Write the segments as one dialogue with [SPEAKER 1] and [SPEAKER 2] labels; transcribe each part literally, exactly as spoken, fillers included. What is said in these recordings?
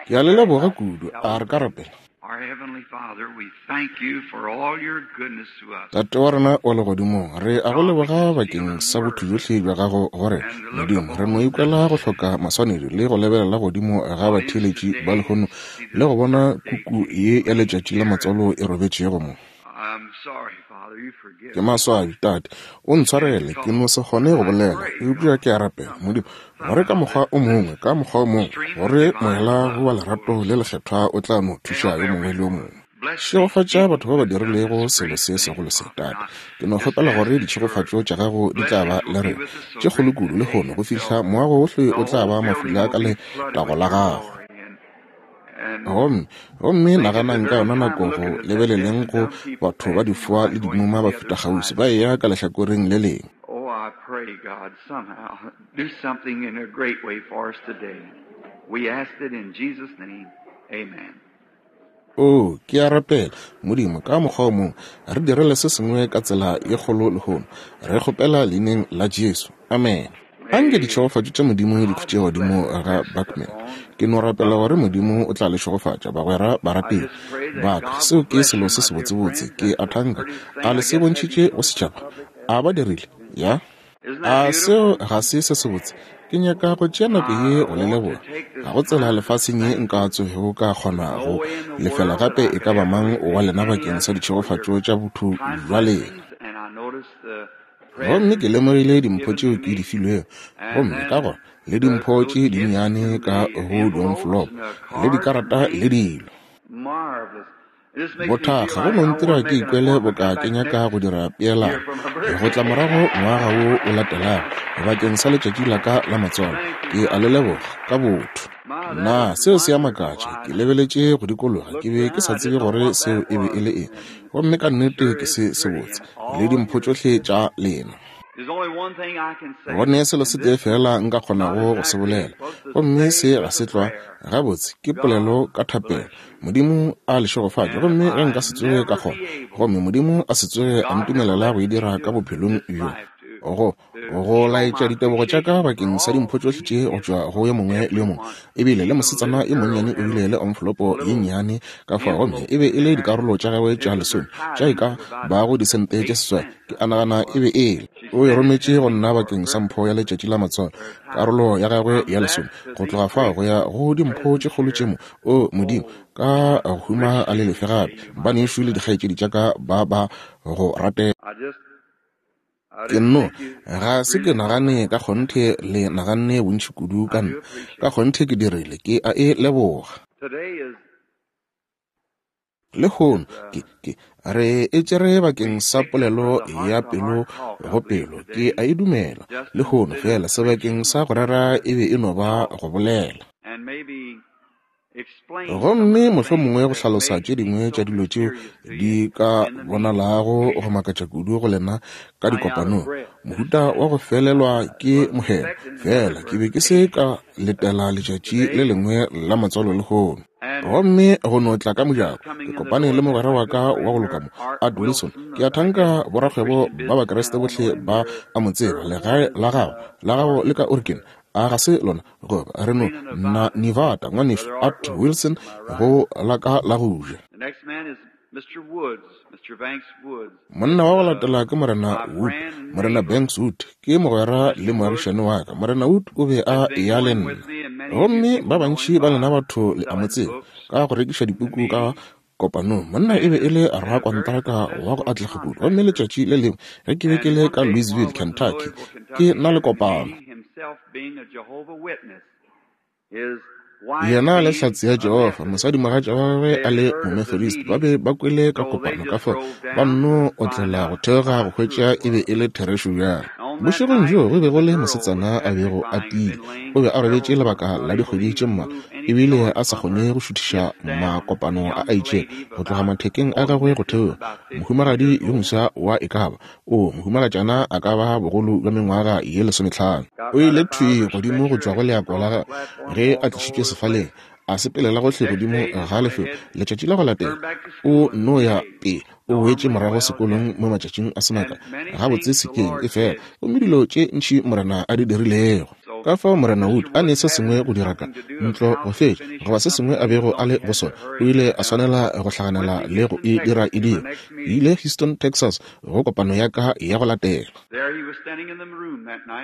[SPEAKER 1] Ke a le leboga kudu. A re ka rapela.
[SPEAKER 2] Our Heavenly Father, we thank you for all your goodness to us.
[SPEAKER 1] Tate wa rena wa legodimong, re a go leboga bakeng sa botho bjohle bja gago gore Modimo re no ikwela go hloka maswanedi le go lebelela godimo ga batheeletši ba lehono le go bona kuku ye ya letšatši la matswalo e robetšego mo.
[SPEAKER 2] I'm sorry, Father, you forgive
[SPEAKER 1] Ke maswabi, Tate, o ntshwarele, ke no se kgone go bolela, eupša ke a rapela, Modimo, gore ka mokgwa o mongwe, ka mokgwa o mongwe, gore moela wa lerato le lekgethwa o tla no thuša yo mongwe le yo mongwe. Šegofatša batho ba ba dirilego selo se segolo se, Tate. Ke no kgopela gore ditšhegofatšo tša gago di tla ba le rena, tše kgolo kudu lehono go fihla moago ohle o tla ba mafula ka letago la gago. Gomme, gomme naganang ka yona nako go lebeleleng go batho ba difoa le dimuma ba feta kgauswi, ba eya ka lehlakoreng le lengwe.
[SPEAKER 2] Oh, I pray, God, somehow do something in a great way for us today. We ask it in Jesus' name. Amen.
[SPEAKER 1] Oh, ke a rapela, Modimo, ka mokgwa o mongwe, re direle se sengwe ka tsela ye kgolo lehono. Re kgopela leineng la Jesu. Amen. Anke ditšhegofatšo tša Modimo di khutše godimo ga Buckman. Ke no rapela gore Modimo o tla le šegofatša, bagwera barategi ba ka. Seo ke selo se sebotsebotse. Ke a thanka. A le se bontšhitše go setšhaba? A ba dirile? Ya? A seo ga se se sebotse? Ke nyaka go tšea nako ye go le leboga. Ga go tsela lefaseng ye nka tsogego ka kgona go lefela gape e ka ba mang wa lena bakeng sa ditšhegofatšo tša botho bja lena.
[SPEAKER 2] And I noticed the
[SPEAKER 1] Gomme ke lemogile dimpho tšeo ke di filwego, gomme ka gona le dimpho tše dinnyane ka go di-envelope le dikarata le dilo.
[SPEAKER 2] marvelous. It just makes me feel
[SPEAKER 1] Bothakga go
[SPEAKER 2] like
[SPEAKER 1] no
[SPEAKER 2] I want
[SPEAKER 1] ntira
[SPEAKER 2] to
[SPEAKER 1] ke
[SPEAKER 2] make an
[SPEAKER 1] ikwele
[SPEAKER 2] appointment
[SPEAKER 1] boka
[SPEAKER 2] back
[SPEAKER 1] ke
[SPEAKER 2] next
[SPEAKER 1] nyaka go dira
[SPEAKER 2] year
[SPEAKER 1] peelano
[SPEAKER 2] for my
[SPEAKER 1] go tla
[SPEAKER 2] birthday.
[SPEAKER 1] morago ngwaga wo o latelago bakeng sa letšatši la ka la matswalo.
[SPEAKER 2] Thank
[SPEAKER 1] Ke
[SPEAKER 2] you
[SPEAKER 1] a le
[SPEAKER 2] kindly.
[SPEAKER 1] leboga ka botho.
[SPEAKER 2] My, that
[SPEAKER 1] Na
[SPEAKER 2] is
[SPEAKER 1] seo se a
[SPEAKER 2] wonderful.
[SPEAKER 1] makatša?
[SPEAKER 2] I
[SPEAKER 1] Ke lebeletše go dikologa,
[SPEAKER 2] looked
[SPEAKER 1] ke be ke
[SPEAKER 2] down,
[SPEAKER 1] sa
[SPEAKER 2] I
[SPEAKER 1] tsebe
[SPEAKER 2] didn't know
[SPEAKER 1] gore
[SPEAKER 2] what
[SPEAKER 1] seo
[SPEAKER 2] that
[SPEAKER 1] e be e
[SPEAKER 2] was.
[SPEAKER 1] le eng.
[SPEAKER 2] And
[SPEAKER 1] Gomme ka nnete
[SPEAKER 2] sure
[SPEAKER 1] ke
[SPEAKER 2] is
[SPEAKER 1] se
[SPEAKER 2] pretty
[SPEAKER 1] sebotse
[SPEAKER 2] and
[SPEAKER 1] le
[SPEAKER 2] all
[SPEAKER 1] dimpho
[SPEAKER 2] your
[SPEAKER 1] tšohle
[SPEAKER 2] gifts.
[SPEAKER 1] tša lena.
[SPEAKER 2] There's only one thing I can say,
[SPEAKER 1] Go ne selo
[SPEAKER 2] and
[SPEAKER 1] se tee
[SPEAKER 2] this
[SPEAKER 1] fela nka
[SPEAKER 2] not
[SPEAKER 1] kgonago go se
[SPEAKER 2] exactly
[SPEAKER 1] bolela,
[SPEAKER 2] supposed to
[SPEAKER 1] gomme
[SPEAKER 2] say
[SPEAKER 1] se ga
[SPEAKER 2] with
[SPEAKER 1] se
[SPEAKER 2] a
[SPEAKER 1] tlwa
[SPEAKER 2] prayer.
[SPEAKER 1] gabotse, ke
[SPEAKER 2] God
[SPEAKER 1] polelo ka thapelo.
[SPEAKER 2] bless you.
[SPEAKER 1] Modimo a le šegofatše,
[SPEAKER 2] And if
[SPEAKER 1] gomme ge
[SPEAKER 2] I
[SPEAKER 1] nka se tsoge ka
[SPEAKER 2] never
[SPEAKER 1] kgona,
[SPEAKER 2] be able,
[SPEAKER 1] gomme Modimo a se tsoge a
[SPEAKER 2] God never
[SPEAKER 1] ntumelela
[SPEAKER 2] let
[SPEAKER 1] go e
[SPEAKER 2] me
[SPEAKER 1] dira
[SPEAKER 2] do
[SPEAKER 1] ka
[SPEAKER 2] it
[SPEAKER 1] bophelong
[SPEAKER 2] this
[SPEAKER 1] bjo,
[SPEAKER 2] life to
[SPEAKER 1] go
[SPEAKER 2] to
[SPEAKER 1] go
[SPEAKER 2] show
[SPEAKER 1] laetša
[SPEAKER 2] my
[SPEAKER 1] ditebogo tša ka
[SPEAKER 2] appreciation for
[SPEAKER 1] bakeng sa
[SPEAKER 2] all
[SPEAKER 1] dimpho tšohle
[SPEAKER 2] these
[SPEAKER 1] tše go
[SPEAKER 2] gifts
[SPEAKER 1] tšwa go yo mongwe le yo mongwe.
[SPEAKER 2] everyone,
[SPEAKER 1] Ebile le
[SPEAKER 2] even a
[SPEAKER 1] mosetsana
[SPEAKER 2] little
[SPEAKER 1] yo
[SPEAKER 2] girl
[SPEAKER 1] monnyane o
[SPEAKER 2] had
[SPEAKER 1] bile
[SPEAKER 2] a
[SPEAKER 1] le envelopo ye
[SPEAKER 2] little
[SPEAKER 1] nnyane ka fao, gomme
[SPEAKER 2] envelope
[SPEAKER 1] e be
[SPEAKER 2] in
[SPEAKER 1] e le
[SPEAKER 2] there.
[SPEAKER 1] dikarolo tša gagwe
[SPEAKER 2] It
[SPEAKER 1] tša
[SPEAKER 2] was her
[SPEAKER 1] lesome tša e
[SPEAKER 2] tithing
[SPEAKER 1] ka
[SPEAKER 2] of about
[SPEAKER 1] bago disente tše
[SPEAKER 2] eight
[SPEAKER 1] seswai.
[SPEAKER 2] cents,
[SPEAKER 1] Ke
[SPEAKER 2] I
[SPEAKER 1] a
[SPEAKER 2] think
[SPEAKER 1] nagana
[SPEAKER 2] it
[SPEAKER 1] e
[SPEAKER 2] was.
[SPEAKER 1] be e le.
[SPEAKER 2] She
[SPEAKER 1] O e
[SPEAKER 2] sent it
[SPEAKER 1] rometše
[SPEAKER 2] to
[SPEAKER 1] go
[SPEAKER 2] me
[SPEAKER 1] nna
[SPEAKER 2] for
[SPEAKER 1] bakeng sa
[SPEAKER 2] her
[SPEAKER 1] mpho ya letšatši la matswalo,
[SPEAKER 2] her tithing.
[SPEAKER 1] karolo ya gagwe
[SPEAKER 2] From
[SPEAKER 1] ya
[SPEAKER 2] that
[SPEAKER 1] lesome.
[SPEAKER 2] to
[SPEAKER 1] Go
[SPEAKER 2] these
[SPEAKER 1] tloga fao
[SPEAKER 2] great
[SPEAKER 1] go ya go dimpho tše
[SPEAKER 2] presents
[SPEAKER 1] kgolo tše
[SPEAKER 2] here,
[SPEAKER 1] mo, o Modimo,
[SPEAKER 2] oh,
[SPEAKER 1] ka go huma a le
[SPEAKER 2] richly
[SPEAKER 1] lefe
[SPEAKER 2] repay
[SPEAKER 1] gape,
[SPEAKER 2] you, my dear
[SPEAKER 1] banešu le
[SPEAKER 2] friend.
[SPEAKER 1] dikgaetšedi tša ka ba ba go ratela.
[SPEAKER 2] I just I
[SPEAKER 1] Ke
[SPEAKER 2] didn't
[SPEAKER 1] nno
[SPEAKER 2] think you
[SPEAKER 1] ga se ke
[SPEAKER 2] really thought
[SPEAKER 1] nagane
[SPEAKER 2] that
[SPEAKER 1] ka
[SPEAKER 2] much.
[SPEAKER 1] kgonthe le naganne bontši kudu
[SPEAKER 2] I
[SPEAKER 1] ka
[SPEAKER 2] do
[SPEAKER 1] nna. Ka
[SPEAKER 2] appreciate it.
[SPEAKER 1] kgonthe ke dirile, ke a e leboga.
[SPEAKER 2] Today is
[SPEAKER 1] Lehono
[SPEAKER 2] is uh
[SPEAKER 1] ke ke re e tšere
[SPEAKER 2] we
[SPEAKER 1] bakeng sa
[SPEAKER 2] picked it for
[SPEAKER 1] polelo
[SPEAKER 2] the
[SPEAKER 1] ya
[SPEAKER 2] heart to
[SPEAKER 1] pelo
[SPEAKER 2] heart talk, I
[SPEAKER 1] go
[SPEAKER 2] believe,
[SPEAKER 1] pelo. Ke
[SPEAKER 2] today,
[SPEAKER 1] a e dumela
[SPEAKER 2] just
[SPEAKER 1] lehono
[SPEAKER 2] instead of
[SPEAKER 1] fela sebakeng
[SPEAKER 2] preaching
[SPEAKER 1] sa go rera
[SPEAKER 2] to
[SPEAKER 1] e be e no ba
[SPEAKER 2] talk
[SPEAKER 1] go bolela.
[SPEAKER 2] and maybe explain some of
[SPEAKER 1] Gomme
[SPEAKER 2] the things
[SPEAKER 1] mohlomongwe go
[SPEAKER 2] that
[SPEAKER 1] hlalosa
[SPEAKER 2] may
[SPEAKER 1] tše
[SPEAKER 2] seem
[SPEAKER 1] dingwe
[SPEAKER 2] so
[SPEAKER 1] tša dilo tšeo
[SPEAKER 2] mysterious to you
[SPEAKER 1] di ka
[SPEAKER 2] in the meeting.
[SPEAKER 1] bonalago go makatša kudu go lena ka
[SPEAKER 2] Running out of
[SPEAKER 1] dikopanong.
[SPEAKER 2] breath.
[SPEAKER 1] Mohuta wa go felelwa ke
[SPEAKER 2] Was
[SPEAKER 1] mohemo.
[SPEAKER 2] expecting another
[SPEAKER 1] Fela ke be ke se
[SPEAKER 2] birthday
[SPEAKER 1] ka letela letšatši le
[SPEAKER 2] today,
[SPEAKER 1] lengwe la matswalo lehono.
[SPEAKER 2] and
[SPEAKER 1] Gomme go no tla ka mojako,
[SPEAKER 2] just coming
[SPEAKER 1] ke
[SPEAKER 2] in the
[SPEAKER 1] kopane
[SPEAKER 2] door
[SPEAKER 1] le
[SPEAKER 2] met
[SPEAKER 1] mogwera
[SPEAKER 2] my
[SPEAKER 1] wa
[SPEAKER 2] good
[SPEAKER 1] ka wa
[SPEAKER 2] friend
[SPEAKER 1] go
[SPEAKER 2] here,
[SPEAKER 1] loka mo,
[SPEAKER 2] Art
[SPEAKER 1] Art Wilson.
[SPEAKER 2] Wilson.
[SPEAKER 1] Ke a
[SPEAKER 2] Of, I guess
[SPEAKER 1] thanka
[SPEAKER 2] the
[SPEAKER 1] borakgwebo
[SPEAKER 2] Christian
[SPEAKER 1] ba
[SPEAKER 2] businessman
[SPEAKER 1] Bakriste
[SPEAKER 2] all
[SPEAKER 1] bohle
[SPEAKER 2] know him
[SPEAKER 1] ba
[SPEAKER 2] here.
[SPEAKER 1] a mo tseba.
[SPEAKER 2] Sir
[SPEAKER 1] Legae
[SPEAKER 2] Warren
[SPEAKER 1] la gago,
[SPEAKER 2] uh,
[SPEAKER 1] la gago le
[SPEAKER 2] Art
[SPEAKER 1] ka Oregon, a ga se lona goba re no
[SPEAKER 2] Rena,
[SPEAKER 1] na
[SPEAKER 2] Nevada.
[SPEAKER 1] Nevada, ngwanešu
[SPEAKER 2] Brother Art
[SPEAKER 1] Art Wilson
[SPEAKER 2] Wilson to my right.
[SPEAKER 1] go la ka la go ja.
[SPEAKER 2] The next man is Mister Woods, Mister Banks Woods,
[SPEAKER 1] Monna
[SPEAKER 2] is
[SPEAKER 1] wa go
[SPEAKER 2] uh,
[SPEAKER 1] latela ke Morena
[SPEAKER 2] my
[SPEAKER 1] Wood,
[SPEAKER 2] friend and
[SPEAKER 1] Morena
[SPEAKER 2] neighbor.
[SPEAKER 1] Banks Wood, ke mogwera le
[SPEAKER 2] Mister Woods
[SPEAKER 1] moagišane wa ka. Morena Wood o be
[SPEAKER 2] has
[SPEAKER 1] a
[SPEAKER 2] been
[SPEAKER 1] eya le
[SPEAKER 2] going
[SPEAKER 1] nna.
[SPEAKER 2] with me, and many of you
[SPEAKER 1] Gomme
[SPEAKER 2] people
[SPEAKER 1] ba
[SPEAKER 2] know him
[SPEAKER 1] bantši ba lena
[SPEAKER 2] by
[SPEAKER 1] batho le a mo
[SPEAKER 2] selling
[SPEAKER 1] tseba
[SPEAKER 2] books
[SPEAKER 1] ka go rekiša
[SPEAKER 2] and
[SPEAKER 1] dipuku ka
[SPEAKER 2] meetings,
[SPEAKER 1] kopanong. Monna e
[SPEAKER 2] and
[SPEAKER 1] be e
[SPEAKER 2] has
[SPEAKER 1] le
[SPEAKER 2] been a very
[SPEAKER 1] rakontraka wa go
[SPEAKER 2] successful
[SPEAKER 1] atlega kudu. Gomme
[SPEAKER 2] contractor.
[SPEAKER 1] letšatši le lengwe ge ke be ke
[SPEAKER 2] And
[SPEAKER 1] le
[SPEAKER 2] one
[SPEAKER 1] ka
[SPEAKER 2] day while
[SPEAKER 1] Louisville,
[SPEAKER 2] I was in
[SPEAKER 1] Kentucky,
[SPEAKER 2] Louisville,
[SPEAKER 1] ke
[SPEAKER 2] Kentucky,
[SPEAKER 1] na le
[SPEAKER 2] having a
[SPEAKER 1] kopano.
[SPEAKER 2] meeting, himself being a Jehovah Witness, his wife
[SPEAKER 1] Yena le
[SPEAKER 2] being
[SPEAKER 1] Hlatse ya
[SPEAKER 2] a
[SPEAKER 1] Jehofa,
[SPEAKER 2] Methodist.
[SPEAKER 1] mosadimogatša wa gagwe
[SPEAKER 2] They
[SPEAKER 1] a
[SPEAKER 2] had
[SPEAKER 1] le
[SPEAKER 2] heard of the
[SPEAKER 1] Momethodist, ba
[SPEAKER 2] meeting,
[SPEAKER 1] be ba kwele ka
[SPEAKER 2] so they
[SPEAKER 1] kopano ka
[SPEAKER 2] just
[SPEAKER 1] fao
[SPEAKER 2] drove
[SPEAKER 1] ba
[SPEAKER 2] down to
[SPEAKER 1] nno
[SPEAKER 2] find
[SPEAKER 1] otlela go
[SPEAKER 2] out
[SPEAKER 1] theoga
[SPEAKER 2] how
[SPEAKER 1] go
[SPEAKER 2] true
[SPEAKER 1] hwetša
[SPEAKER 2] it
[SPEAKER 1] e be
[SPEAKER 2] was.
[SPEAKER 1] e le therešo bjang.
[SPEAKER 2] On that
[SPEAKER 1] Bošegong
[SPEAKER 2] night,
[SPEAKER 1] bjoo go be go
[SPEAKER 2] the
[SPEAKER 1] le
[SPEAKER 2] girl was
[SPEAKER 1] mosetsana a bego a
[SPEAKER 2] petrifying, had
[SPEAKER 1] tiile.
[SPEAKER 2] been laying
[SPEAKER 1] O be
[SPEAKER 2] for
[SPEAKER 1] a robetše
[SPEAKER 2] several
[SPEAKER 1] lebaka
[SPEAKER 2] months,
[SPEAKER 1] la
[SPEAKER 2] not able to
[SPEAKER 1] dikgwedi tše
[SPEAKER 2] even
[SPEAKER 1] mmalwa,
[SPEAKER 2] move any
[SPEAKER 1] ebile
[SPEAKER 2] joint
[SPEAKER 1] a sa
[SPEAKER 2] from
[SPEAKER 1] kgone
[SPEAKER 2] her
[SPEAKER 1] go šuthiša
[SPEAKER 2] hips down.
[SPEAKER 1] makopano a
[SPEAKER 2] Young
[SPEAKER 1] a itšego
[SPEAKER 2] lady of
[SPEAKER 1] go tloga
[SPEAKER 2] about,
[SPEAKER 1] mathekeng a
[SPEAKER 2] oh,
[SPEAKER 1] gagwe go
[SPEAKER 2] missus,
[SPEAKER 1] theoga.
[SPEAKER 2] about fifty
[SPEAKER 1] Mohumagadi
[SPEAKER 2] years
[SPEAKER 1] yo
[SPEAKER 2] old,
[SPEAKER 1] mofsa wa e ka ba, o mohumagatšana a ka ba bogolo bja mengwaga ye lesomehlano.
[SPEAKER 2] got
[SPEAKER 1] O
[SPEAKER 2] right
[SPEAKER 1] ile
[SPEAKER 2] up out of
[SPEAKER 1] thwi
[SPEAKER 2] her
[SPEAKER 1] godimo go
[SPEAKER 2] stretcher
[SPEAKER 1] tšwa go
[SPEAKER 2] as she
[SPEAKER 1] leako
[SPEAKER 2] crossed
[SPEAKER 1] la
[SPEAKER 2] the
[SPEAKER 1] gagwe
[SPEAKER 2] platform,
[SPEAKER 1] ge a
[SPEAKER 2] walked all
[SPEAKER 1] tlišitšwe
[SPEAKER 2] over the
[SPEAKER 1] sefaleng,
[SPEAKER 2] place.
[SPEAKER 1] a sepelela gohle
[SPEAKER 2] Next
[SPEAKER 1] godimo
[SPEAKER 2] day, just
[SPEAKER 1] ga
[SPEAKER 2] went
[SPEAKER 1] lefelo.
[SPEAKER 2] ahead,
[SPEAKER 1] Letšatši la go latela
[SPEAKER 2] turned back to
[SPEAKER 1] o
[SPEAKER 2] school in a
[SPEAKER 1] no
[SPEAKER 2] few
[SPEAKER 1] ya
[SPEAKER 2] days.
[SPEAKER 1] pele, o boetše
[SPEAKER 2] Normally
[SPEAKER 1] morago
[SPEAKER 2] well
[SPEAKER 1] sekolong
[SPEAKER 2] yet.
[SPEAKER 1] mo matšatšing a se makae
[SPEAKER 2] And many
[SPEAKER 1] gabotse
[SPEAKER 2] things the
[SPEAKER 1] sekeng
[SPEAKER 2] Lord
[SPEAKER 1] e fela,
[SPEAKER 2] did.
[SPEAKER 1] gomme dilo tše ntši Morena a di dirilego.
[SPEAKER 2] So
[SPEAKER 1] Ka fao Morena Wood a ne se sengwe go dira ka ntlo go fetša, goba se sengwe a bego a le go sona, o ile a swanela go hlaganela le go e dira e dira. Ke ile Houston, Texas, go kopano ya ka ya go latela.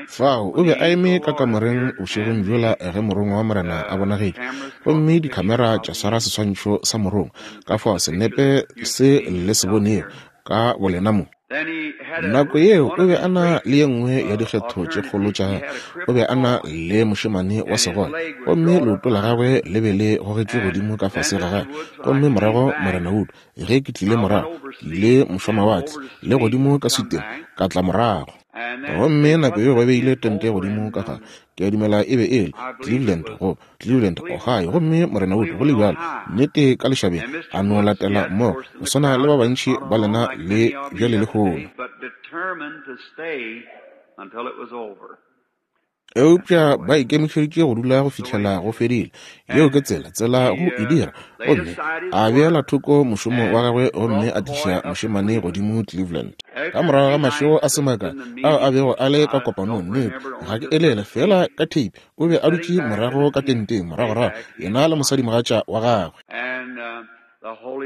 [SPEAKER 1] Fao o be a eme ka kamoreng bošegong bjola ge morongwa wa Morena a bonagetše, gomme dikhamera tša swara seswantšho sa morongwa. Ka fao senepe se le se bonego ka bolena mo. Nako yeo o be a na le ye nngwe ya dikgetho tše kgolo tša gagwe. O be a na le mošemane wa segole, gomme leoto la gagwe le be le gogetšwe godimo ka fase ga gagwe. Gomme morago Morena Wood, ge ke tlile morago, ke ile mošwamawatle le godimo ka suteng, ka tla morago. Gomme nako yeo ba beile tente godimo ka gare, ke a dumela e be e le Cleveland, go Cleveland, Ohio. Gomme Morena Wood, go le bjalo, nnete ka lešabeng, a no latela mmogo go swana le ba bantši ba lena le bjale lehono. Eupša ba ikemišeditše go dula go fihlela go fedile. Yeo ke tsela, tsela go e dira. Gomme a beela thoko mošomo wa gagwe gomme a tliša mošemane godimo Cleveland. Ka morago ga mašego a se makae ao a bego a le ka kopanong, nnete ga ke elele fela ka tape, o be a dutše morago ka tenteng moragorago, yena le mosadimogatša wa gagwe.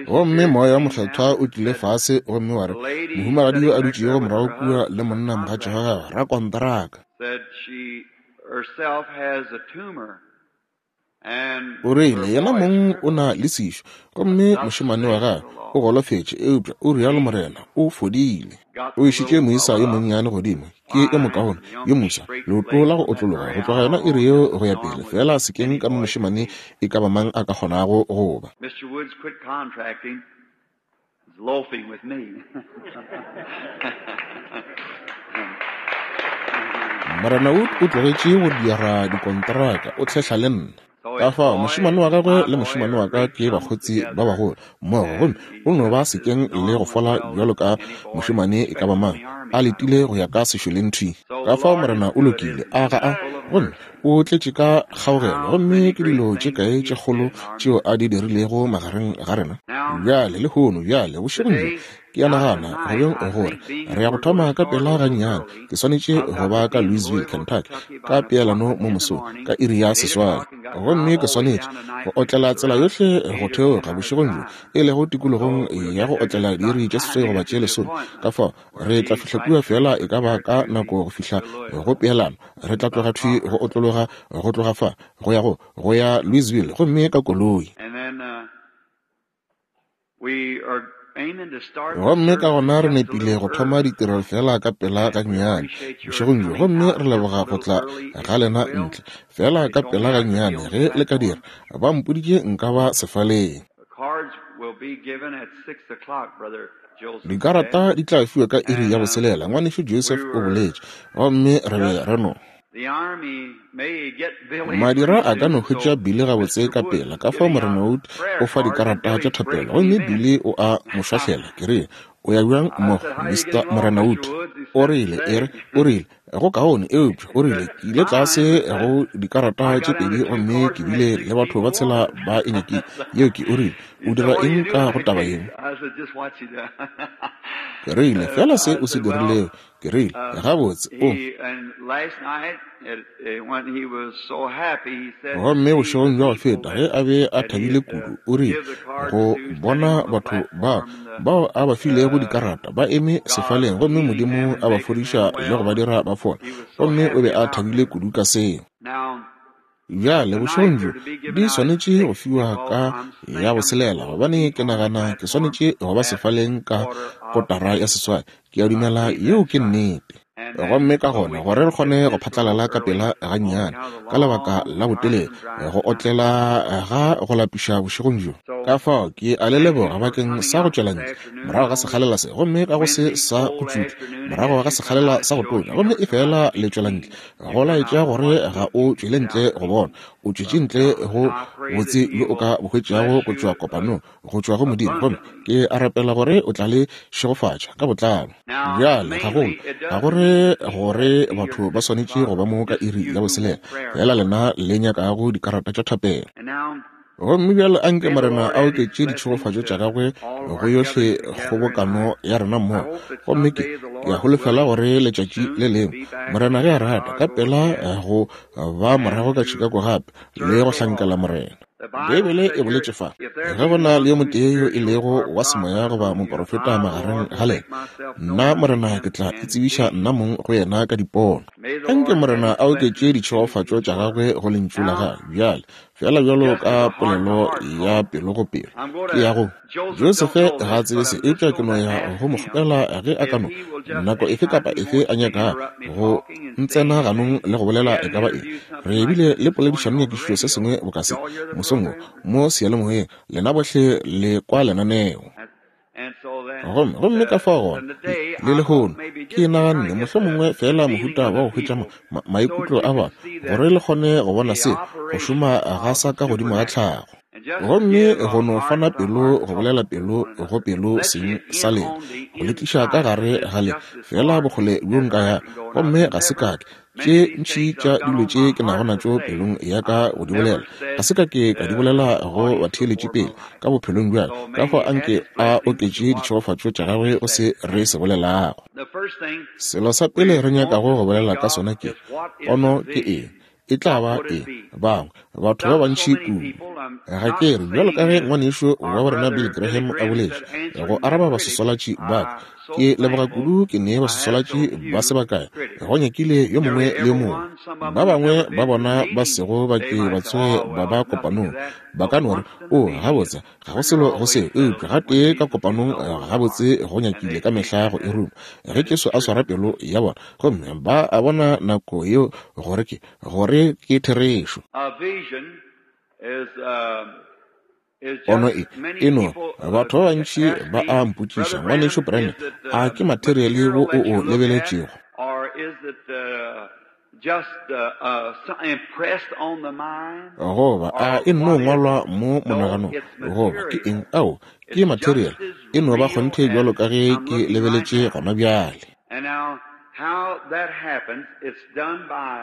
[SPEAKER 1] Gomme Moya wa Mokgethwa o tlile fase gomme wa re, mohumagadi yo a dutšego morago kua le monna mogatša wa gagwe, rakonteraka, o rile yena mong o na le sešo, gomme mošemane wa gagwe o golofetše, eupša o rialo Morena, o fodile. O išitše moisa yo monnyane godimo, ke e mokaone, yo moswa, leoto la go otlologa go tloga yona iri yeo go ya pele, fela sekeng ka mo mošemane e ka ba mang a ka kgonago go ba. Morena Wood o tlogetše go dira dikonteraka, o hlehla le nna. Ka fao mošemane wa gagwe le mošemane wa ka ke bakgotsi ba bagolo mmogo, gomme o no ba sekeng le go fola bjalo ka mošemane e ka ba mang, a letile go ya ka sešoleng thwi. Ka fao Morena o lokile, a ga a, gomme o tletše ka kgaogelo, gomme ke dilo tše kae tše kgolo tšeo a di dirilego magareng ga rena bjale lehono. Bjale bošegong bjo ke a nagana go beng gore re ya go thoma ka pela gannyane. Ke swanetše go ba ka Louisville, Kentucky ka peelano mo mosong ka iri ya seswai, gomme ke swanetše go otlela tsela yohle go theoga bošegong bjo, e lego tikologong ya go otlela diiri tše seswai goba tše lesome. Ka fao re tla fihla kua fela e ka ba ka nako go fihla go peelano. Re tla tloga thwi go otlologa go tloga fa go ya go go ya Louisville, gomme ka koloi. Gomme ka gona re nepile go thoma ditirelo fela ka pela gannyane bošegong bjo, gomme re leboga go tla ga lena ntle fela ka pela gannyane ge le ka dira. Ba mpoditše nka ba sefaleng. Dikarata di tla fiwa ka iri ya boselela, ngwanešu Joseph o boletše, gomme re be re no. Madira a ka no hwetša Billy gabotse ka pela. Ka fao Morena Wood o fa dikarata tša thapelo, gomme Billy o a mo šwahlela. Ke rile, o ya bjang mmogo, Mister Morena Wood? O rile, e re, o rile, go kaone, eupša o rile, ke ile tlase go dikarata tše pedi gomme ke bile le batho ba tshela ba e nyakile. Yeo ke, o rile, o dira eng ka go taba yeo? Ke rile, fela se o se dirilego. Ke rile, gabotse o. Gomme bošegong bja go feta ge a be a thabile kudu, o rile go bona batho ba bao a ba filego dikarata ba eme sefaleng, gomme Modimo a ba fodiša le go ba dira ba fola, gomme o be a thabile kudu ka seo. Bjale bošegong bjo di swanetše go fiwa ka ya boselela, gobane ke nagana ke swanetše go ba sefaleng ka kotara ya seswai. Ke a dumela yeo ke nnete. Gomme ka gona gore re kgone go phatlalala ka pela gannyane ka lebaka la botelele go otlela ga go lapiša bošegong bjo. Ka fao ke a le leboga bakeng sa go tšwela ntle morago ga sekgalela se, gomme ka go se sa go tšutla morago ga sekgalela sa go tonya, gomme e fela le tšwela ntle go laetša gore ga o tšwele ntle go bona, o tšwetše ntle go botse bjo o ka bo hwetšago go tšwa kopanong, go tšwa go Modimo. Gomme ke a rapela gore o tla le šegofatša ka botlalo. Bjale gagolo ga gore gore batho ba swanetše go ba mo ka iri ya boselela, fela lena le nyakago dikarata tša thapelo. Gomme bjale a nke Morena a oketše ditšhegofatšo tša gagwe go yohle kgobokano ya rena mmogo. Gomme ke ke a holofela gore letšatši le lengwe, Morena ge a rata, ka pela go ba morago ka Chicago gape le go hlankela Morena. Beibele e boletše fa, ge go na le yo motee yo e lego wa semoya goba moprofeta magareng ga lena, nna Morena ke tla itsebiša nna mong go yena ka dipono. A nke Morena a oketše ditšhegofatšo tša gagwe go lentšu la gagwe bjale, fela bjalo ka polelo ya pelo go pelo. Ke ya go Josefe ga a tsebe se, eupša ke no ya go mo kgopela ge a ka no nako efe kapa efe a nyaka go ntsena ganong le go bolela e ka ba eng. Re bile le poledišanonyakišišo se sengwe boka se mosong wo mo seyalemoyeng, lena bohle le kwa lenaneo. Gomme gomme ka fao gona le lehono ke naganne mohlomongwe fela mohuta wa go hwetša maikutlo a batho gore le kgone go bona se go šoma ga sa ka godimo ga tlhago. Gomme go no fana pelo go bolela pelo go pelo seng sa lena, go le tliša ka gare ga le fela bokgole bjo nka ya. Gomme ga se kake tše ntši tša dilo tše ke nago natšo pelong ya ka go di bolela, ga se ka ke ka di bolela go batheeletši pele ka bophelong bja ka. Ka fao a nke a oketše ditšhegofatšo tša gagwe go se re se bolelago. Selo sa pele re nyakago go bolela ka sona ke pono ke eng, e tla ba eng. Bangwe batho ba bantši kudu, ga ke re bjalo ka ge ngwanešo wa borena Bill Graham a boletše go araba basosolatši ba ka, ke leboga kudu ke nee basosolatši ba se bakae go nyakile yo mongwe le yo mongwe. Ba bangwe ba bona ba sego ba ke ba tsoge ba ba kopanong ba ka no re, o gabotse ga go selo go se, eupša gatee ka kopanong gabotse go nyakile ka mehla go e ruma ge Jesu a swara pelo ya bona, gomme ba a bona nako yeo gore ke gore ke therešo. Pono e e no batho ba bantši ba a mpotšiša, ngwanešo Branham, a ke materiale wo o o lebeletšego goba a e nno ngwalwa mo monaganong goba ke eng? Ao, ke material, e no ba kgonthe bjalo ka ge ke lebeletše gona bjale.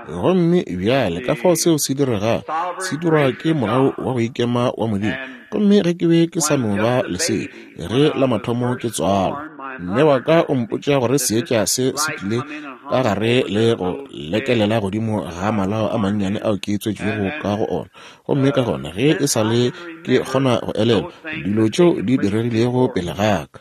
[SPEAKER 1] Gomme bjale ka fao seo se diregago, se dirwa ke mogau wa go ikema wa Modimo. Gomme ge ke be ke sa no ba lesea, ge la mathomo ke tswalwa, mme wa ka o mpotša gore seetša se se tlile ka gare le go lekelela godimo ga malao a mannyane ao ke tswetšwego ka go ona. Gomme ka gona ge e sa le ke kgona go elelwa dilo tšeo di diregilego pele ga ka,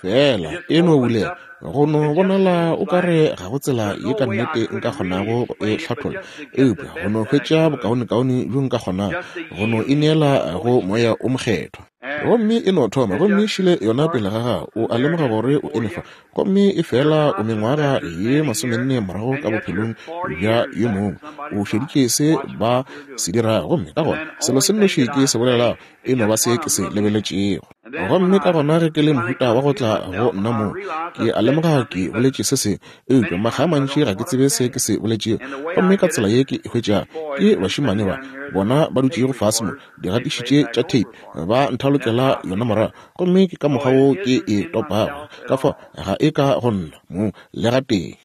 [SPEAKER 1] fela e no bulela go no bonala o ka re ga go tsela ye ka nnete nka kgonago go e hlatholla, eupša go no hwetša bokaonekaone bjo nka kgonago go no ineela go moya o mokgethwa. Gomme e no thoma, gomme šile yona pele ga gago, o a lemoga gore o eme fa, gomme e fela o mengwaga ye masomenne morago ka bophelong bja yo mongwe, o šeditše se ba se dirago. Gomme ka gona selo se nnoši ke se bolelago e no ba se ke se lebeletšego. Gomme ka gona ge ke le mohuta wa go tla go nna moo, ke a lemoga ke boletše se sengwe, eupša makga a mantši ga ke tsebe se ke se boletšego. Gomme ka tsela ye ke e hwetšago ke bašemane ba bona ba dutšego fase mo, digatiši tše tša tape, ba nthalokela yona morago, gomme ke ka mokgwa wo ke e topago. Ka fao ga e ka go nna mo le gatee.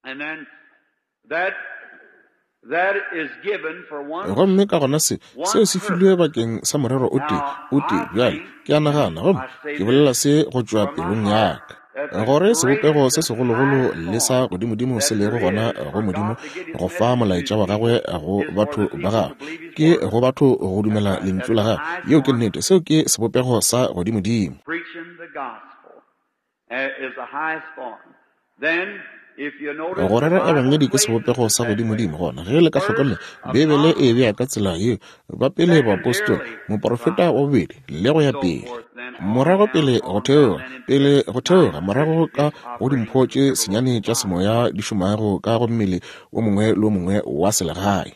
[SPEAKER 1] Gomme ka gona se seo se filwe bakeng sa morero o tee o tee. Bjale ke a nagana, gomme ke bolela se go tšwa pelong ya ka, gore sebopego se segologolo le sa godimodimo se lego gona go Modimo go fa molaetša wa gagwe go batho ba gagwe, ke go batho go dumela lentšu la gagwe. Yeo ke nnete, seo ke sebopego sa godimodimo. Go rera ebangedi ke sebopego sa godimodimo. Gona ge le ka hlokomela, Beibele e bea ka tsela yeo, ba pele baapostola, moprofeta wa bobedi, le go ya pele, morago pele go theoga, pele go theoga morago ka go dimpho tše senyane tša semoya di šomago ka go mmele o mongwe le o mongwe wa selegae.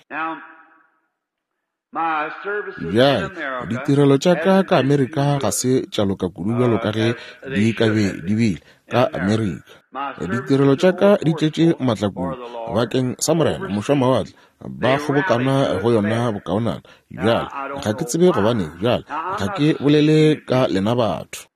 [SPEAKER 1] Bjale ditirelo tša ka ka Amerika ga se tša loka kudu bjalo ka ge di ka be di bile ka Amerika. Ditirelo tša ka di tletše maatla kudu bakeng sa Morena mošwamawatle, ba kgobokana go yona bokaonana. Bjale ga ke tsebe gobaneng, bjale ga ke bolele ka lena batho,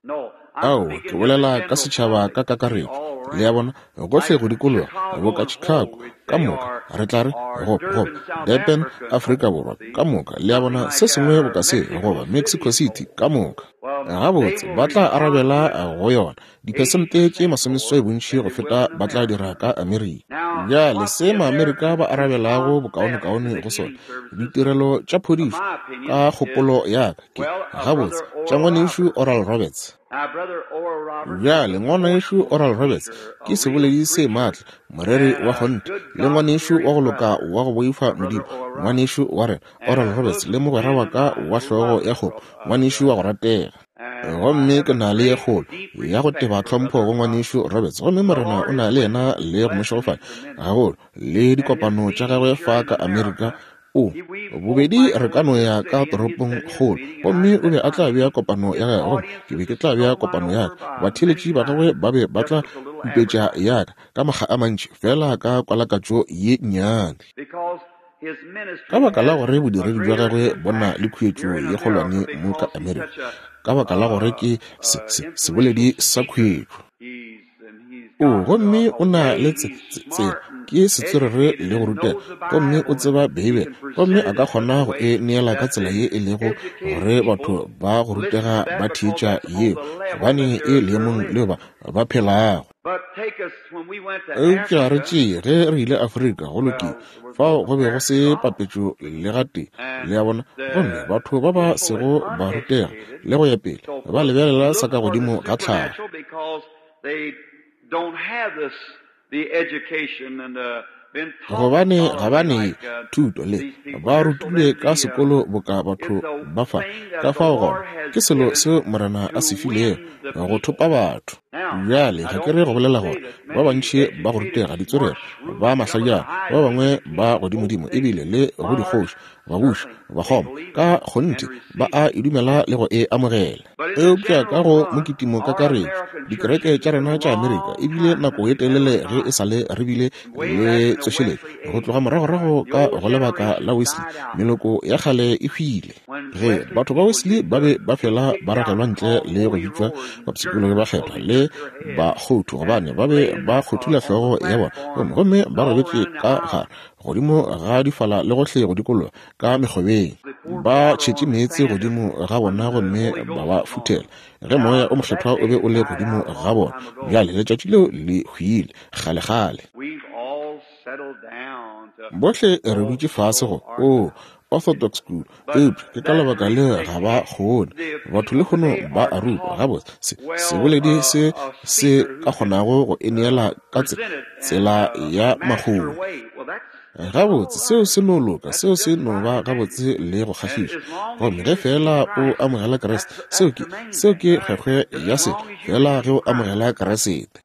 [SPEAKER 1] ao ke bolela ka setšhaba ka kakaretšo. Le a bona, gohle go dikologa, boka Chicago, ka moka, re tla re, goba, goba, Durban, Afrika Borwa, ka moka, le a bona, se sengwe boka se, goba Mexico City, ka moka. Gabotse, ba tla arabela go yona diphesente tše masomeseswai bontši go feta ba tla dira ka Amerika. Bjale se Maamerika ba arabelago bokaonekaone go sona, ditirelo tša phodišo, ka kgopolo ya ka, ke gabotse tša ngwanešu Oral Roberts. Bjale ngwanešu Oral Roberts ke seboledi se maatla, moreri wa kgonthe, le ngwanešu wa go loka wa go boifa Modimo, ngwanešu wa rena Oral Roberts, le mogwera wa ka wa hlogo ya kgopo, ngwanešu wa go ratega. Gomme ke na le ye kgolo ya go teba tlhompho go ngwanešu Roberts, gomme Morena o na le yena le go mo šegofatša gagolo le dikopano tša gagwe fa ka Amerika. O bobedi re ka no ya ka toropong kgolo, gomme o be a tla bea kopano ya gagwe, gomme ke be ke tla bea kopano ya ka. Batheeletši ba gagwe ba be ba tla upetša ya ka ka makga a mantši, fela ka kwalakatšo ye nnyane. Ka baka la gore bodiredi bja gagwe bo na le khuetšo ye kgolwane mo ka Amerika, ka baka la gore ke se, se, seboledi sa khuetšo. O gomme o na le tsela, ke setswerere le go rutega, gomme o tseba Beibele, gomme a ka kgona go e neela ka tsela ye e lego gore batho ba go rutega ba theetša yeo, gobane e leemong leo ba ba phelago. Eupša re tšee ge re ile Afrika, go lokile, fao go be go se papetšo le gatee, le a bona, gomme batho ba ba sego ba rutega le go ya pele ba lebelela sa ka godimo ga tlhago. Gobane ga ba ne thuto le ba rutilwe ka sekolo boka batho ba fa, ka fao gona ke selo seo Morena a se filego go thopa batho. Bjale ga ke re go bolela gore ba bantši ba go rutega ditswerere, ba mahlajana, ba bangwe ba godimodimo, ebile le go dikgoši, babuši, bakgoma, ka kgonthe ba a e dumela le go e amogela. Eupša ka go mokitimo kakaretšo, dikereke tša rena tša Amerika ebile nako ye telele ge e sa le re bile le tsošeletšo go tloga moragorago ka go lebaka la Wesley, meloko ya kgale e hwile. Ge batho ba Wesley ba be ba fela ba ragelwa ntle le go bitšwa bapshikologi ba kgethwa le bakgothu, gobane ba be ba kgothula hlogo ya bona, gomme ba robetše ka gare godimo ga difala le gohle go dikologa ka mekgobeng, ba tšhetše meetse godimo ga bona gomme ba ba futhela ge moya o mokgethwa o be o le godimo ga bona. Bjale letšatši leo le hwile kgalekgale. Bohle re dutše fase go o Orthodox school, eupša ke ka lebaka le ga ba kgone. Batho lehono ba a rutwa gabotse, seboledi se se ka kgonago go e neela ka tsela ya makgolo. Gabotse seo se no loka, seo se no ba gabotse le go kgahliša. Gomme ge fela o amogela Kriste, seo ke seo ke kgwekgwe ya se, fela ge o amogela Kriste.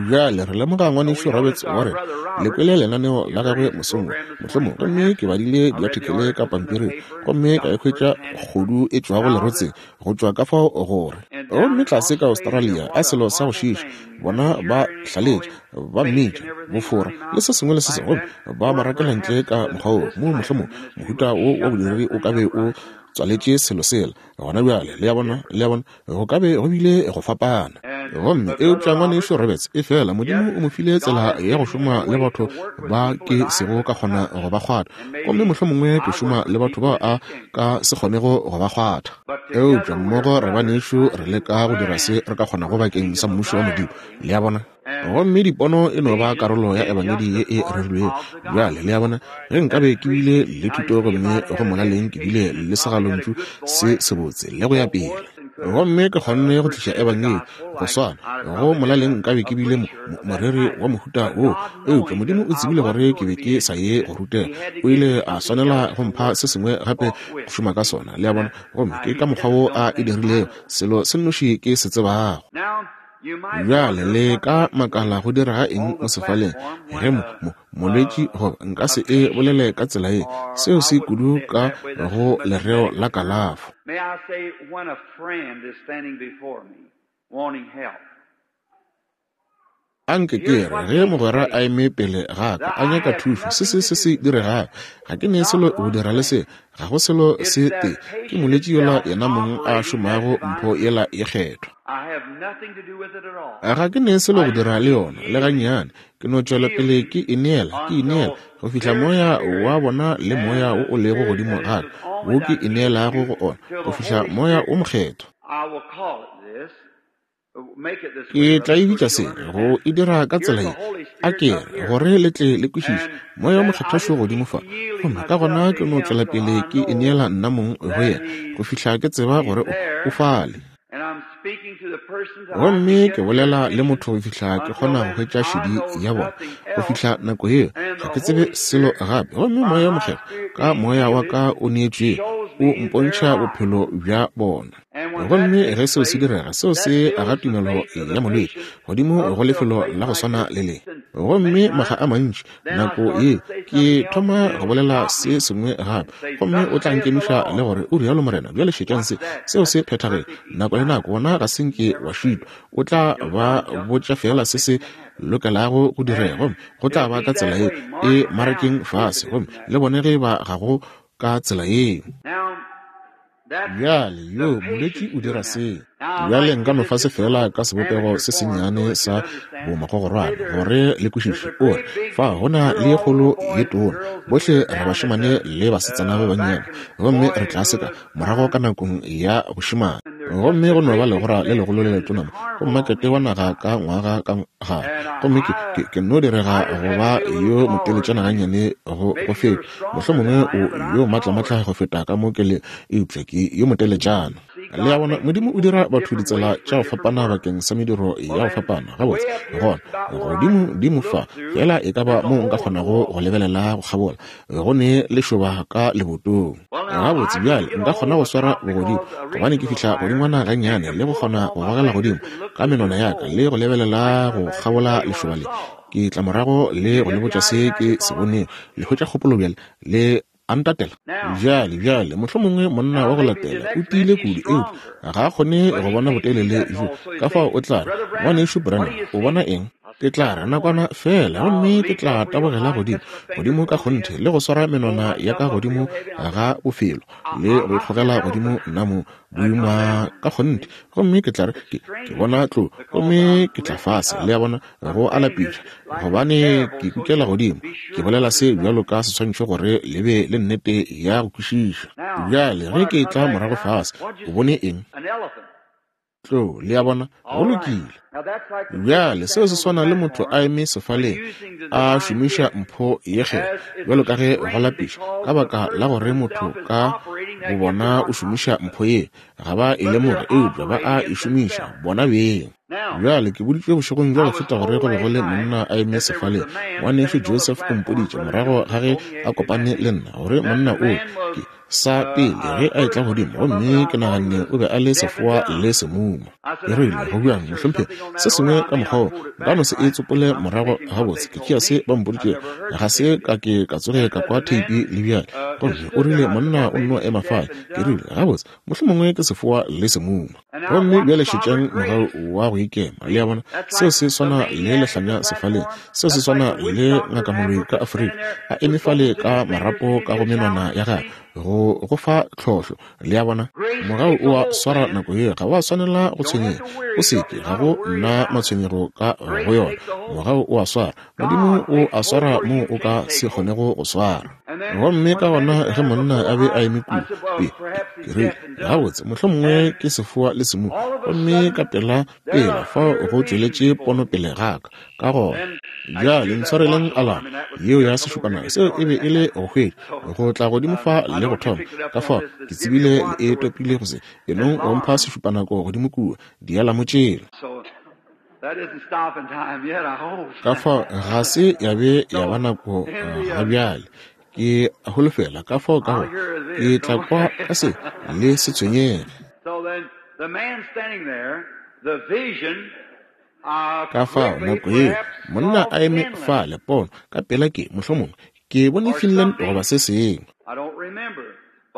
[SPEAKER 1] Bjale re lemoga ngwanešu Roberts wa rena, le kwele lenaneo la gagwe mosong wo mohlomong, gomme ke badile diathekele ka pampiring, gomme ka e hwetša kgodu e tšwago lerotseng go tšwa ka fao gore. Gomme tlase ka Australia, a selo sa go šiiša, bona ba hlaletša, ba mmitša bofora le se sengwe le se sengwe, gomme ba mo rakela ntle ka mokgwa wo mo mohlomong mohuta wo wa bodiredi o ka be o tswaletše selo sela gona bjale. Le a bona, le a bona, go ka be go bile go fapana. Gomme eupša ngwanešu Roberts e fela Modimo o mo file tsela ya go šoma le batho ba ke sego ka kgona go ba kgwatha, gomme mohlomongwe ke šoma le batho bao a ka se kgonego go ba kgwatha. Eupša mmogo re banešu re leka go dira se re ka kgonago bakeng sa mmušo wa Modimo, le a bona. Gomme dipono e no ba karolo ya ebangedi ye e rerilwego. Bjale le a bona, ge nkabe ke bile le thuto gomme go molaleng ke bile le segalontšu se sebotse le go ya pele, gomme ke kgonne go tliša ebangedi go swana, go molaleng nkabe ke bile moreri wa mohuta wo. Eupša Modimo o tsebile gore ke be ke sa ye go rutega, o ile a swanela go mpha se sengwe gape go šoma ka sona, le a bona. Gomme ke ka mokgwa wo a e dirilego, selo se nnoši ke se tsebago. Bjale le ka makala go direga eng mo sefaleng ge mo molwetši, goba nka se e bolele ka tsela ye, seo se kudu ka go lereo la kalafo. Anke ke re ge mogwera a eme pele ga ka a nyaka thušo, se se se se diregago, ga ke ne selo go dira le se, ga go selo se tee, ke molwetši yola yena mong a šomago mpho yela ye kgethwa. Ga ke ne selo go dira le yona le gannyane, ke no tšwela pele ke ineela, ke ineela go fihla moya wa bona le moya wo o lego godimo ga ka, wo ke ineelago go ona, go fihla moya o mokgethwa. Ke tla e bitša se, go e dira ka tsela ye, a ke re, gore le tle le kwešiše, moya o mokgethwa šo godimo fa, gomme ka gona ke no tšwela pele ke ineela nna mong go yena, go fihla ke tseba gore o, o fale. Gomme ke bolela le motho go fihla ke kgona go hwetša šedi ya bona, go fihla nako yeo ga ke tsebe selo gape. Gomme moya o mokgethwa ka moya wa ka o neetšwego o mpontšha bophelo bja bona. Gomme ge seo se direga, seo se aga tumelo ya molwetši godimo go lefelo la go swana le le. Gomme makga a mantši nako ye ke thoma go bolela se sengwe gape, gomme o tla nkemiša le gore o rialo Morena, bjale šetšang se, seo se phethagele. Nako le nako wona ga se nke wa šitwa, o tla ba botša fela se se lokelago go direga, gomme go tla ba ka tsela ye e marakeng fase, gomme le bone ge ba ga go ka tsela yeo. Bjale yo molwetši o dira se. Bjale nka no fa se fela ka sebopego se sennyane sa bomagogorwane gore le kwešiše. O re fa go na le kgolo ye tona, bohle re bašemane le basetsana ba bannyane, gomme re tlase ka morago ka nakong ya bošemane, gomme go no ba legora le legolo le letona mo go mmakete wa naga ka ngwaga ka gare, gomme ke, ke, ke no direga go ba yo moteletšana gannyane go, go feta, mohlomongwe o yo maatlamatla go feta ka mo ke le, eupša ke yo moteletšana. Le a bona, Modimo o dira batho ditsela tša go fapana bakeng sa mediro ya go fapana. Gabotse, gona godimo dimo fa fela e ka ba mo nka kgonago go lebelela go kgabola, go ne lešoba ka lebotong. Gabotse, bjale nka kgona go swara bogodimo, gobane ke fihla godingwana gannyane le go kgona go gogela godimo ka menwana ya ka le go lebelela go kgabola lešoba le. Ke tla morago le go le botša se ke se boneng. Le hwetša kgopolo bjale, le a ntatela. Bjale, bjale, mohlomongwe monna wa go latela o tiile kudu, eupša ga a kgone go bona botelele bjo, ka fao o tla re, Ngwanešu Branham, o bona eng? Ke tla re nakwana fela, gomme ke tla tabogela godimo, godimo ka kgonthe, le go swara menwana ya ka godimo ga bofelo, le go ikgogela godimo nna mo boima ka kgonthe, gomme ke tla re, ke, ke bona tlo, gomme ke tla fase, le a bona, go a lapiša, gobane ke kukela godimo. Ke bolela se bjalo ka seswantšho gore le be le nnete ya go kwešiša. Bjale ge ke tla morago fase, o bone eng? Tlo, le a bona, go lokile. Bjale seo se swana le motho a eme sefaleng a šomiša mpho ye kgethwa, bjalo ka ge go lapiša, ka baka la gore motho ka bo bona o šomiša mpho ye, ga ba e lemoge, eupša ba a e šomiša bona beng. Bjale ke boditšwe bošegong bja go feta gore go be go le monna a eme sefaleng. Ngwanešu Joseph o mpoditše morago ga ge a kopane le nna gore monna o ke sa pele ge a etla godimo, gomme ke naganne o be a le sefoa le semuma. Ke rile, go bjang mohlomphegi, se sengwe ka mokgwa wo, nka no se e tsopole morago gabotse, ke tšea se ba mpoditšego, ga se ka ke ka tsoge ka kwa theipi le bjale. Gomme o rile monna o nno ema fale. Ke rile, gabotse, mohlomongwe ke sefoa le semuma. Gomme bjale šetšang mogau wa go ikema, le a bona, seo se swana le lehlanya sefaleng, seo se swana le ngakamoloi ka Afrika a eme fale ka marapo ka go menwana ya gagwe go go fa tlhohlo, le a bona. Mogau o a swara nako ye, ga wa swanela go tshwenyega, o seke, ga go nna matshwenyego ka go yona. Mogau o a swara, Modimo o a swara mo o ka se kgonego go swara. Gomme ka gona ge monna a be a eme kua, pe, ke rile, gabotse, mohlomongwe ke sefoa le semuma. Gomme ka pela pela fao go tšweletše pono pele ga ka. Ka gona bjale ntshwareleng alama yeo ya sešupanako, seo e be e le go hwetša go tla godimo fa le go thoma. Ka fao ke tsebile le e topile go se enong go mpha sešupanako godimo kua dialamo tšela. Ka fao ga se ya be ya ba nako ga bjale, ke a holofela. Ka fao ka go ke tla kwa ka se le se tshwenyege. Ka fao nako yeo monna a eme fale, pono ka pela ke mohlomongwe ke bone Finland goba se sengwe.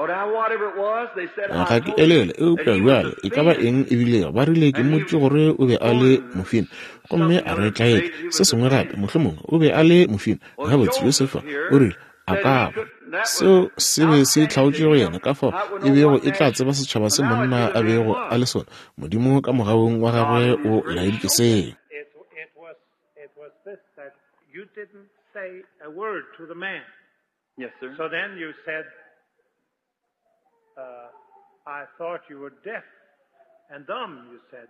[SPEAKER 1] Ga ke elele, eupša bjale e ka ba eng e bilego, ba rile ke mmotše gore o be a le mofine, gomme a re tlaetša se sengwe gape, mohlomongwe o be a le mofine. Gabotse, Josefa o rile a ka ba. Seo se be se hlaotše go yena ka fao e bego e tla tseba setšhaba se monna a bego a le sona. Modimo ka mogaung wa gagwe o laeditše seo.
[SPEAKER 2] Yes, sir.
[SPEAKER 3] So then you said, uh, I thought you were deaf and dumb, you said.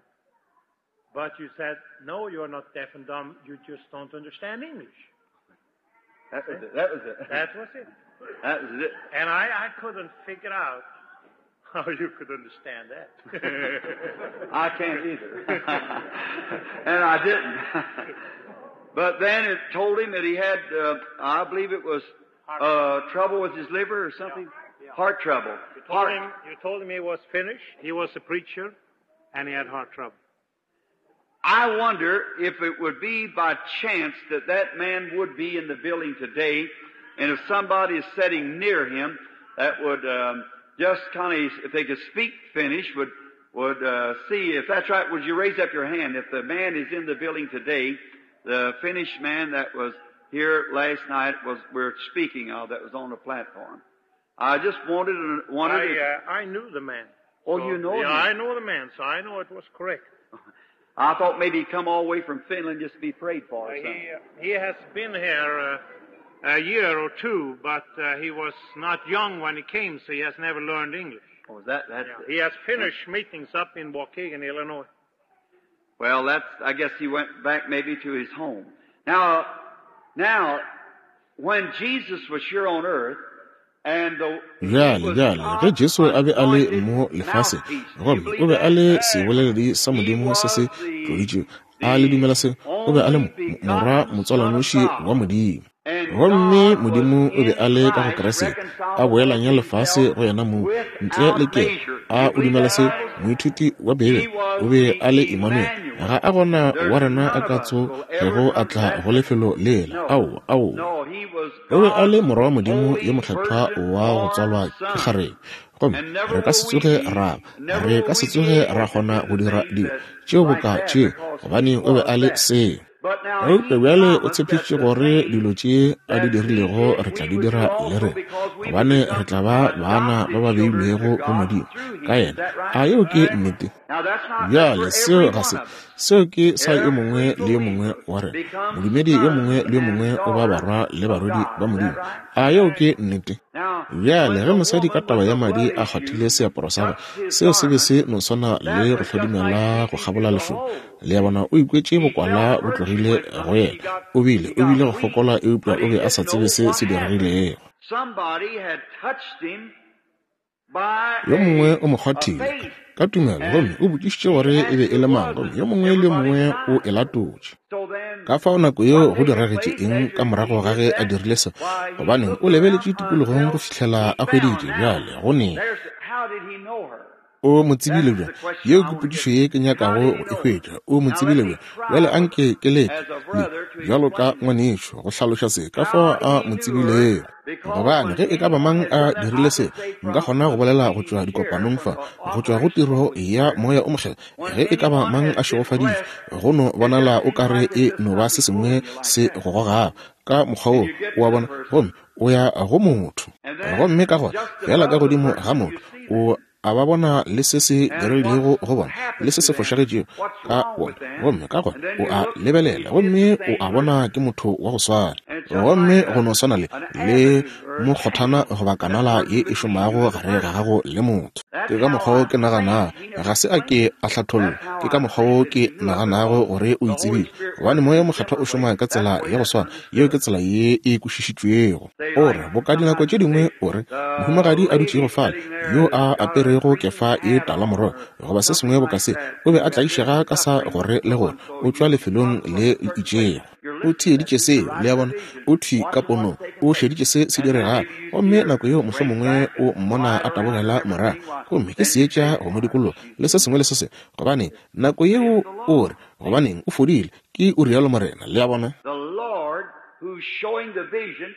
[SPEAKER 3] But you said, no, you're not deaf and dumb, you just don't understand English.
[SPEAKER 2] That was it. That was it.
[SPEAKER 3] That was it.
[SPEAKER 2] That was it.
[SPEAKER 3] And I, I couldn't figure out how you could understand that.
[SPEAKER 2] I can't either. And I didn't. But then it told him that he had, uh, I believe it was uh, trouble with his liver or something.
[SPEAKER 3] Yeah. Yeah.
[SPEAKER 2] Heart trouble.
[SPEAKER 3] You told,
[SPEAKER 2] heart.
[SPEAKER 3] him, you told him he was finished, he was a preacher, and he had heart trouble.
[SPEAKER 2] I wonder if it would be by chance that that man would be in the building today, and if somebody is sitting near him that would um, just kind of, if they could speak Finnish, would would uh, see. If that's right, would you raise up your hand? If the man is in the building today, the Finnish man that was here last night was we're speaking of that was on the platform. I just wanted wanted.
[SPEAKER 3] I,
[SPEAKER 2] if,
[SPEAKER 3] uh, I knew the man.
[SPEAKER 2] Oh,
[SPEAKER 3] so,
[SPEAKER 2] you know
[SPEAKER 3] yeah,
[SPEAKER 2] him.
[SPEAKER 3] I know the man, so I know it was correct.
[SPEAKER 2] I thought maybe he'd come all the way from Finland just to be prayed for or
[SPEAKER 3] Uh,
[SPEAKER 2] something.
[SPEAKER 3] he, uh, he has been here uh, a year or two, but uh, he was not young when he came, so he has never learned English.
[SPEAKER 2] Oh, is that, that's
[SPEAKER 3] Yeah. He has finished meetings up in Waukegan, Illinois.
[SPEAKER 2] Well, that's, I guess he went back maybe to his home. Now, now, when Jesus was here on earth, and the
[SPEAKER 1] Bjale, bjale, ge Jesu a be a le mo lefaseng, gomme o be a le seboleledi sa Modimo se se tloditšwego, a le dumela se, o be a le morwa motswalwanoši wa Modimo. Gomme Modimo o be a le ka go Kriste, a boelanya lefase go yena mong, ntle le ke a o dumela se, moithuti wa Bibele, o be a le Emmanuel. Ga a gona wa rena a ka tsogego a tla go lefelo lela. Aowa, aowa. O be a le morwa wa Modimo yo mokgethwa wa go tswalwa ke kgarebe. Gomme re ka se tsoge ra ba, re ka se tsoge ra kgona go dira dilo tšeo boka tšeo, gobane o be a le seo. Eupša bjale o tshepišitše gore dilo tše a di dirilego re tla di dira le rena, gobane re tla ba bana ba ba beilwego go Modimo ka yena. A yeo ke nnete? Bjale seo ga se, seo ke sa yo mongwe le yo mongwe wa rena. Modumedi yo mongwe le yo mongwe o ba barwa le barwedi ba Modimo. A yeo ke nnete? Bjale ge mosadi ka taba ya madi a kgwathile seaparo sa gagwe, seo se be se no swana le go hlodimela go kgabola lešoba. Le a bona, o ikwetše bokwala bo tlogile go yena. O bile, o bile go fokola, eupša o be a sa tsebe se se diregilego. Yo mongwe o mo kgwathile ka tumelo, gomme o botšišitše gore e be e le mang, gomme yo mongwe le yo mongwe o e latotše. Ka fao nako yeo go diragetše eng ka morago ga ge a dirile se? Gobaneng o lebeletše tikologong go fihlela a hweditše bjale go neng. O mo tsebile bjang? Yeo ke potšišo ye ke nyakago go e hwetša. O mo tsebile bjang? Bjale anke ke leke le bjalo ka ngwanešo go hlaloša se ka fao a mo tsebilego. Gobane ge e ka ba mang a dirile se, nka kgona go bolela go tšwa dikopanong fa, go tšwa go tiro ya moya o mokgethwa. Ge e ka ba mang a šegofaditšwe, go no bonala o kare e no ba se sengwe se go gogago ka mokgwa wo, o a bona, gomme o ya go motho. Gomme ka gona fela ka godimo ga motho, o a ba bona le se se dirilego go bona, le se se fošagetšego ka bona, gomme ka gona o a lebelela, gomme o a bona ke motho wa go swana. Gomme go no swana le le mokgothana goba kanala ye e šomago gare ga gago le motho. Ke ka mokgwa wo ke naganago, ga se a ke a hlathollwa, ke ka mokgwa wo ke naganago gore o itsebile, gobane moya mokgethwa o šoma ka tsela ya go swana. Yeo ke tsela ye e kwešišitšwego. O re boka dinako tše dingwe o re mohumagadi a dutšego fale yo a aperego kefa e talamorogo goba se sengwe boka se, o be a tlaišega ka sa gore le gore o tšwa lefelong le le itšego. O theeditše seo, le a bona, o thwi ka ponong, o šeditše se se diregago, gomme nako yeo mohlomongwe o mmona a tabogela morago, gomme ke seetša go mo dikologa le se sengwe le se sengwe, gobane nako yeo o re, gobaneng o fodile, ke o rialo Morena, le a bona.
[SPEAKER 2] The Lord who's showing the vision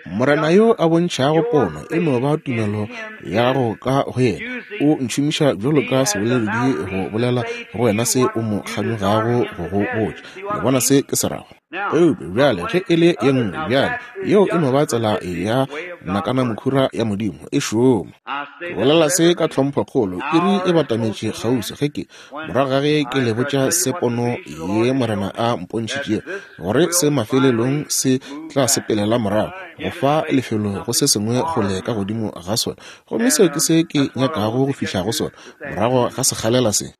[SPEAKER 1] Morena yo a bontšhago pono e no ba tumelo ya gago ka go yena. O ntšhomiša bjalo ka seboleledi go bolela go wena se o mo kganyogago go go botša. Le bona se ke se rago? Eupša bjale ge e le ye nngwe bjale, yeo e no ba tsela ya nakana mokhura ya Modimo e šoma. Ke bolela se ka tlhomphokgolo, iri e batametše kgauswi ge ke morago ga ge ke le botša se pono ye Morena a mpontšhitšego, gore se mafelelong se tla sepelela morago go fa lefelo go se sengwe kgole ka godimo ga sona. Gomme seo ke se ke nyakago go fihla go sona morago ga sekgalela se.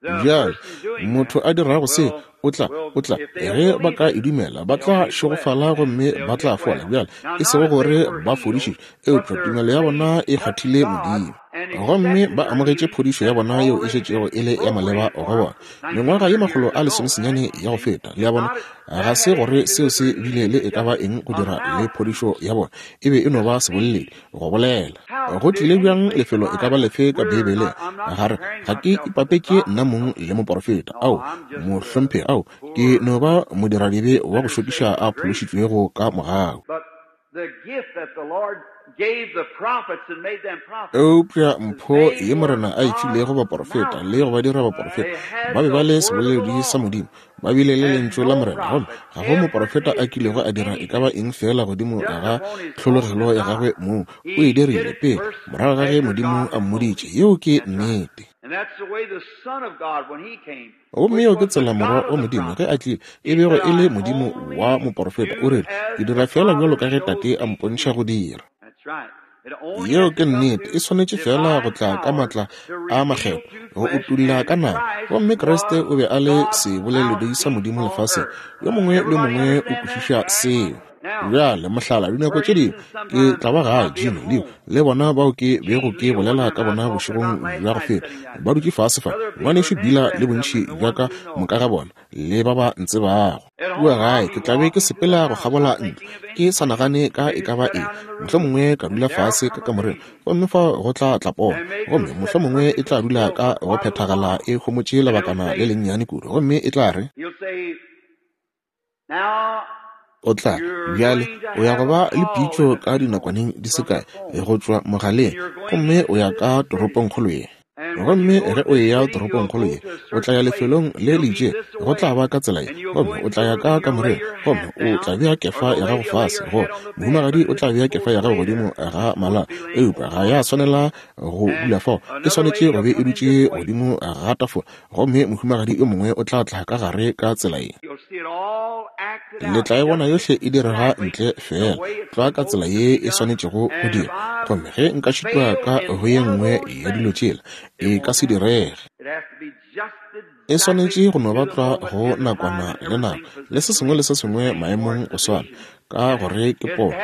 [SPEAKER 1] Bjale motho a dirago se o tla o tla ge ba ka e dumela ba tla šegofala gomme ba tla fola. Bjale e sego gore ba fodišitšwe, eupša tumelo ya bona e kgwathile Modimo gomme ba amogetše phodišo ya bona yeo e šetšego e le ya maleba go bona mengwaga ye makgolo a lesomesenyane ya go feta. Le a bona, ga se gore seo se bile le e ka ba eng go dira le phodišo ya bona, e be e no ba seboleledi go bolela. Go tlile bjang lefelo e ka ba lefe ka Beibeleng gare ga ke ipapetše nna mong le moporofeta? Ao, mohlomphegi, ao, ke no ba modiradibe wa go šokiša a phološitšwego ka mogau. Eupša mpho ye Morena a e filego baporofeta le go ba dira baporofeta, ba be ba le seboleledi sa Modimo, ba bile le lentšu la Morena, gomme ga go moporofeta a kilego a dira e ka ba eng fela godimo ga tlhologelo ya gagwe mong. O e dirile pele morago ga ge Modimo a mmoditše. Yeo ke nnete. Gomme yeo ke tsela Morwa wa Modimo ge a tlile e bego e le Modimo wa moporofeta. O rile, ke dira fela bjalo ka ge Tate a mpontšha go dira. Yeo ke nnete. E swanetše fela go tla ka matla a makgetho go utulla ka nama. Gomme Kriste o be a le seboleledi sa Modimo lefaseng. Yo mongwe le mongwe o kwešiša seo. Bjale mohlala, dinako tše dingwe ke tla ba gae, Jimmy, Leo le bona bao ke bego ke bolela ka bona bošegong bja go feta ba dutše fase fa, ngwanešu Bila le bontši bja ka moka ga bona le ba ba ntsebago. Kua gae ke tla be ke sepela go kgabola ntlo ke sa nagane ka e ka ba eng, mohlomongwe ka dula fase ka kamoreng, gomme fa go tla tla pono, gomme mohlomongwe e tla dula ka go phethagala e homotše lebakana le lennyane kudu, gomme e tla re, o tla bjale o ya go ba le pitšo ka dinakwaneng di se kae go tšwa mogaleng, gomme o ya ka toropongkgolo ye. Gomme ge o eya toropongkgolo ye, o tla ya lefelong le le itšeng, go tla ba ka tsela ye, gomme o tla ya ka kamoreng, gomme o tla bea kefa ya gago fase, go mohumagadi o tla bea kefa ya gago godimo ga mala, eupša ga ya swanela go dula fao, e swanetše go be e dutše godimo ga tafola, gomme mohumagadi yo mongwe o tla tla ka gare ka tsela ye. Le tla e bona yohle e direga ntle fela tlwa ka tsela ye e swanetšego go dira. Gomme ge nka šitwa ka go ye nngwe ya dilo tšela, e ka se direge. E swanetše go no ba tlwa go nakwana le nako le se sengwe le se sengwe maemong go swana, ka gore ke pono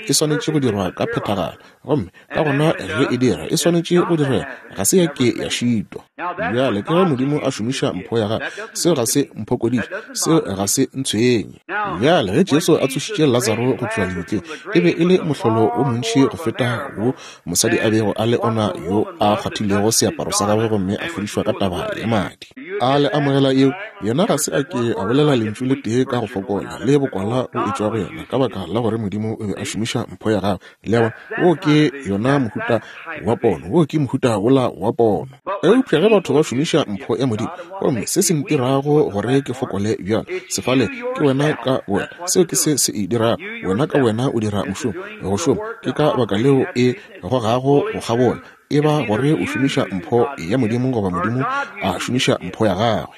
[SPEAKER 1] e swanetše go dirwa ka phethagalo, gomme ka gona ge e dira e swanetše go direga, ga se ya ke ya šitwa. Bjale ke ge Modimo a šomiša mpho ya gagwe, seo ga se mphokodiše, seo ga se ntshwenye. Bjale ge Jesu a tsošitše Lazaro go tšwa lebitleng, e be e le mohlolo o montši go feta wo mosadi a bego a le ona yo a kgwathilego seaparo sa gagwe gomme a fodišwa ka taba ya madi. A le amogela yeo? Yena ga se a ke a bolela lentšu le tee ka go fokola le bokwala o etšwa go yena, ka baka la gore Modimo o be a šomiša mpho ya gagwe. Le a bona, wo ke yona mohuta wa pono, wo ke mohuta wola wa pono. Eupša ge batho ba šomiša mpho ya Modimo, gomme se se ntirago gore ke fokole bjalo sefale ke wena ka wena, seo ke se se e dirago. Wena ka wena o dira mošomo go šoma, ke ka baka leo e gogago go kgabola. E ba gore o šomiša mpho ya Modimo goba Modimo a šomiša mpho ya gagwe.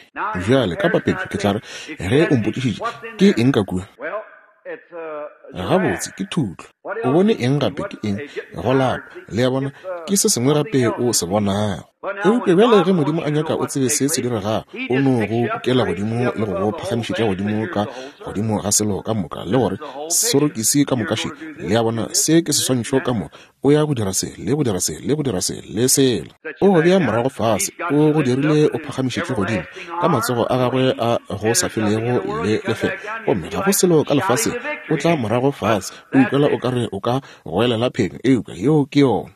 [SPEAKER 1] Bjale ka papetšo ke tla re, ge o mpotšišitše ke eng ka kua, gabotse ke thutlo. O bone eng gape? Ke eng? Go lapa. Le a bona, ke se sengwe gape o se bonago. Eupša bjale ge Modimo a nyaka o tsebe se se diregago, o no go kukela godimo le go go phagamišetša godimo ka godimo ga selo ka moka, le gore sorokisi ka moka še. Le a bona, se ke seswantšho ka moka. O ya go dira se le go dira se le go dira se le sela. O go bea morago fase, o go dirile o phagamišetše godimo ka matsogo a gagwe a go sa felego le lefelo, gomme ga go selo ka lefaseng. O tla morago morago fase, o ikwela o ka re o ka goelela phenyo, eupša yeo ke yona.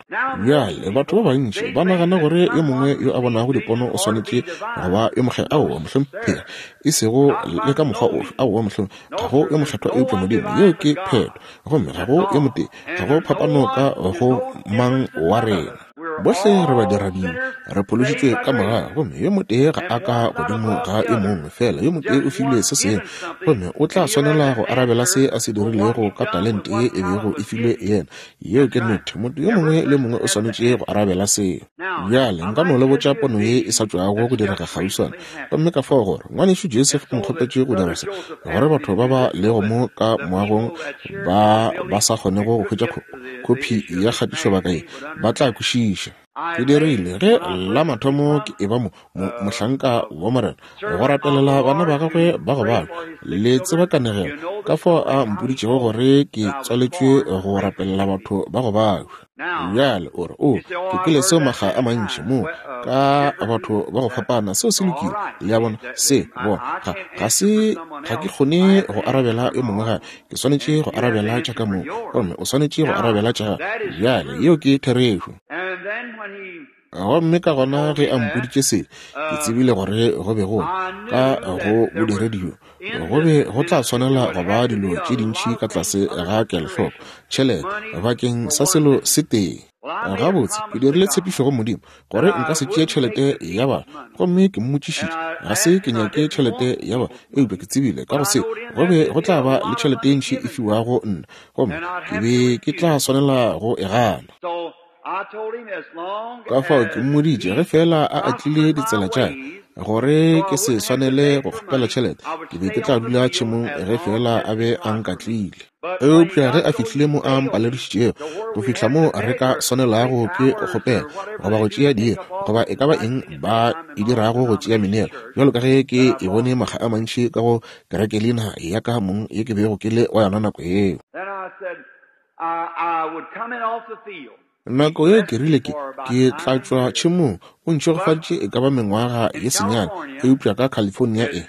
[SPEAKER 1] Bjale batho ba bantši ba nagana gore yo mongwe yo a bonago dipono o swanetše go ba yo mokgethwa. Aowa, mohlomphegi, e sego le ka mokgwa ofe. Aowa, mohlomphegi, ga go yo mokgethwa eupša Modimo. Yeo ke phetho. Gomme ga go yo motee, ga go phapano ka go mang wa rena. Bohle re badiradibe, re phološitšwe ka mogau, gomme yo motee ga a ka godimo ga yo mongwe, fela yo motee o filwe se sengwe, gomme o tla swanela go arabela se a se dirilego ka talente ye e bego e filwe yena. Yeo ke nnete. Motho yo mongwe le mongwe o swanetše go arabela seo. Bjale nka no le botša pono ye e sa tšwago go direga kgauswana, gomme ka fao gore ngwanešu Joseph o nkgopetše go dira se, gore batho ba ba lego mo ka moagong ba ba sa kgonego go hwetša khophi ya kgatišobaka ye ba tla kwešiša. Ke dirile ge la mathomo ke eba mo, mo mohlanka wa Morena go rapelela bana ba gagwe ba go balwa. Le tseba kanegelo ka fao a mpoditšego gore ke tswaletšwe go rapelela batho ba go balwa. Bjale o re, o ke kwele seo makga a mantši mo ka batho ba go fapana. Seo se lokile, le a bona. Se bona, ga ga se ga ke kgone go arabela yo mongwe gape. Ke swanetše go arabela tša ka moo, gomme o swanetše go arabela tša gago. Bjale yeo ke therešo. Gomme ka gona ge a mpoditše se, ke tsebile gore go be go ka go bodiredi bjo go be go tla swanela go ba dilo tše dintši ka tlase ga kelohloko, tšhelete bakeng sa selo se tee. Gabotse, ke dirile tshepišo go Modimo gore nka se tšee tšhelete ya batho, gomme ke mmotšišitše, ga se ke nyake tšhelete ya batho, eupša ke tsebile ka go se go be go tla ba le tšhelete e ntši e fiwago nna, gomme ke be ke tla swanela go e gana. Ka fao ke mmoditše ge fela a atlile ditsela tša gore ke se swanele go kgopela tšhelete, ke be ke tla dula tšhemong ge fela a be a nkatlile. Eupša ge a fihlile mo a mpaledišitšego go fihla mo re ka swanelago ke go kgopela goba go tšea diiri goba e ka ba eng ba e dirago go tšea meneelo, bjalo ka ge ke e bone makga a mantši ka go kerekelina ya ka mong ye ke bego ke le wa yona nako yeo. Nako ye ke rile ke ke tla tšwa tšhemong, o ntšhegofaditše e ka ba mengwaga ye senyane, eupša ka California e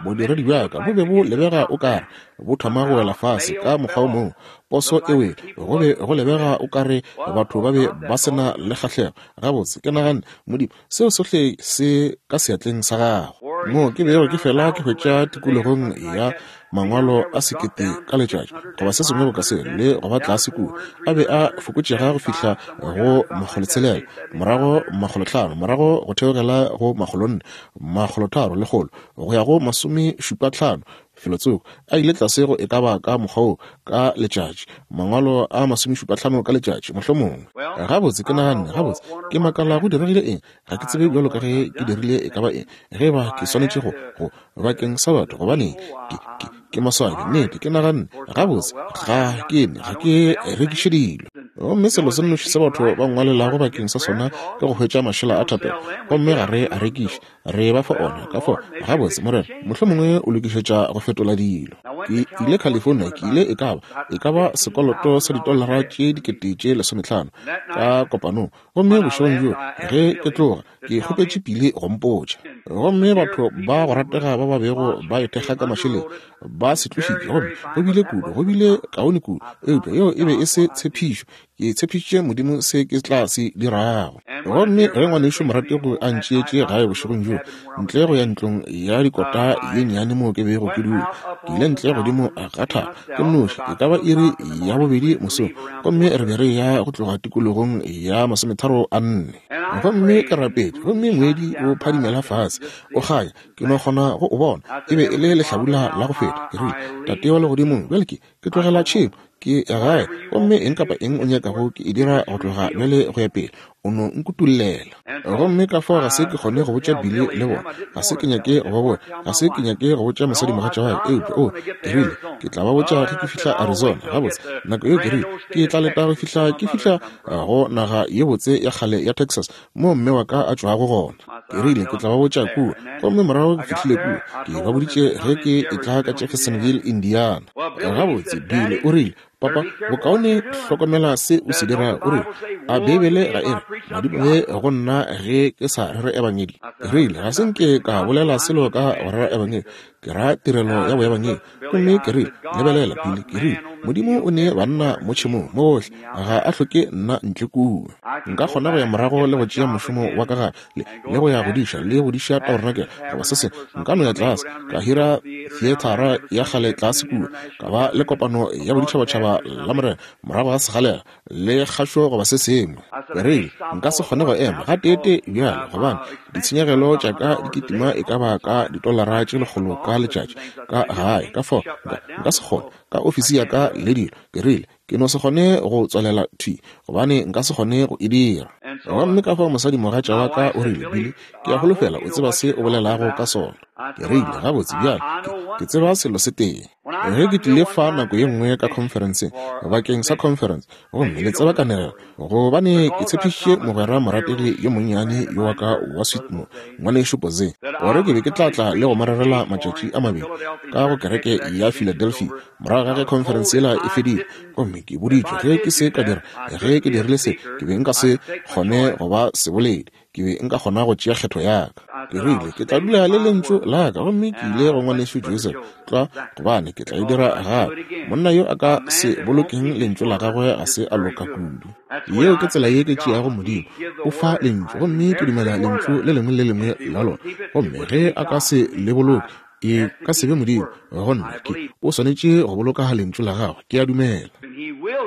[SPEAKER 1] bodiredi bja ka bo be bo lebega o kare bo thoma go wela fase ka mokgwa o mongwe. Poso e wele, go be go lebega o kare batho ba be ba se na le kgahlego. Gabotse, ke naganne, Modimo, seo sohle se ka seatleng sa gago. Mo ke bego ke fela ke hwetša tikologong ya mangwalo a sekete ka letšatši goba se sengwe boka se, le go ba tlase kua, a be a fokotšega go fihla go makgolotshelela, morago makgolotlhano, morago go theogela go makgolonne, makgolotharo lekgolo, go ya go masomešupatlhano felotsoko. A ile tlase go e ka ba ka mokgwa wo ka letšatši, mangwalo a masomešupatlhano ka letšatši mohlomongwe. Gabotse, ke naganne, gabotse, ke makala go diregile eng. Ga ke tsebe bjalo ka ge ke dirile e ka ba eng, ge ba ke swanetše go go bakeng sa batho, gobaneng ke ke ke maswabi. Nnete, ke naganne, gabotse, ga ke ne ga ke rekiše dilo. Gomme selo se nnoši se batho ba ngwalelago bakeng sa sona ke go hwetša mašela a thapelo, gomme ga re a rekiše, re ba fa ona. Ka fao, gabotse, Morena, mohlomongwe o lokišetša go fetola dilo. Ke ile California, ke ile e ka ba e ka ba sekoloto sa ditolara tše dikete tše lesometlhano ka kopanong, gomme bošegong bjo ge ke tloga ke kgopetše Pili go mpotša. Gomme batho ba go ratega ba ba bego ba ithekga ka mašeleng ba se tlošitše, gomme go bile kudu, go bile kaone kudu, eupša yeo e be e se tshepišo. Ke tshepišitše Modimo se ke tla se dirago. Gomme ge ngwanešu moratego a ntšeetše gae bošegong bjo, ntle go ya ntlong ya dikota ye nnyane moo ke bego ke dula, ke ile ntle godimo ga thaba ke nnoši, e ka ba iri ya bobedi mosong, gomme re be re ya go tloga tikologong ya masometharo a nne. Gomme ke rapetše, gomme ngwedi o phadimela fase o kganya, ke no kgona go o bona. E be e le lehlabula la go feta. Ke rile, Tate wa legodimong, bjale ke ke tlogela tšhemo, ke gae, gomme eng kapa eng o nyakago ke e dira go tloga bjale go ya pele, o no nkutollela. Gomme ka fao ga se ke kgone go botša Billy le bona, ga se ke nyake go ba botša, ga se ke nyake go botša mosadimogatša wa ka, eupša o, ke rile, ke tla ba botša ge ke fihla Arizona. Gabotse, nako yeo ke rile, ke tla leta go fihla ke fihla go naga ye botse ya kgale ya Texas mo mme wa ka a tšwago gona. Ke rile, ke tla ba botša kua. Gomme morago ke fihlile kua, ke ba boditše ge ke etla ka Jeffersonville, Indiana. Gabotse, Billy o rile, Papa, bokaone hlokomela se o se dirago. O rile, a Beibele ga e re madimabe go nna ge ke sa rere ebangedi? Ke rile, ga se nke ka bolela selo ka go rera ebangedi. Ke ra tirelo ya boebangedi. Gomme ke rile, lebelela, Billy, ke rile, Modimo o ne banna mo tšhemong mo gohle, ga a hloke nna ntle kua. Nka kgona go ya morago le go tšea mošomo wa ka gape, le, le go ya go diša, le go diša tabernakel, goba se sengwe. Nka no ya tlase, ka hira theathara ya kgale tlase kua, ka ba le kopano ya boditšhabatšhaba la Morena morago ga segalela, le kgašo goba se sengwe. Ke rile, nka se kgone go ema gateetee bjale, gobane ditshenyegelo tša ka di kitima e ka ba ka ditolara tše lekgolo ka letšatši ka gae, ka fao nka, nka se kgone ka ofisi ya ka le dilo. Ke rile, ke no se kgone go tswalela thwi, gobane nka se kgone go e dira. Gomme ka fao mosadimogatša wa ka o rile, Billy, ke a holofela o tseba se o bolelago ka sona. Ke rile, gabotse bjale, ke, ke tseba selo se tee. Ge ke tlile fa nako ye nngwe ka conferenceng, bakeng sa conference, gomme le tseba kanegelo, gobane ke tshepišitše mogwera morategi yo monnyane yo wa ka wa Sweetmore, ngwanešu Posey, gore ke be ke tla tla le go mo rerela matšatši a mabedi ka go kereke ya Philadelphia morago ga ge conference yela e fedile. Gomme ke boditšwe ge ke se ka dira, ge ke dirile se, ke be nka se kgone go ba seboledi, ke be nka kgona go tšea kgetho ya ka. Ke rile, ke tla dula le lentšu la ka, gomme ke ile go ngwanešu Joseph tlwa, gobane ke tla e dira gape. Monna yo a ka se bolokeng lentšu la gagwe ga se a loka kudu. Yeo ke tsela ye ke tšeago Modimo. O fa lentšu, gomme ke dumela lentšu le lengwe le lengwe la lona. Gomme ge a ka se le boloke, e ka se be Modimo go nna. Ke o swanetše go boloka lentšu la gagwe, ke a dumela.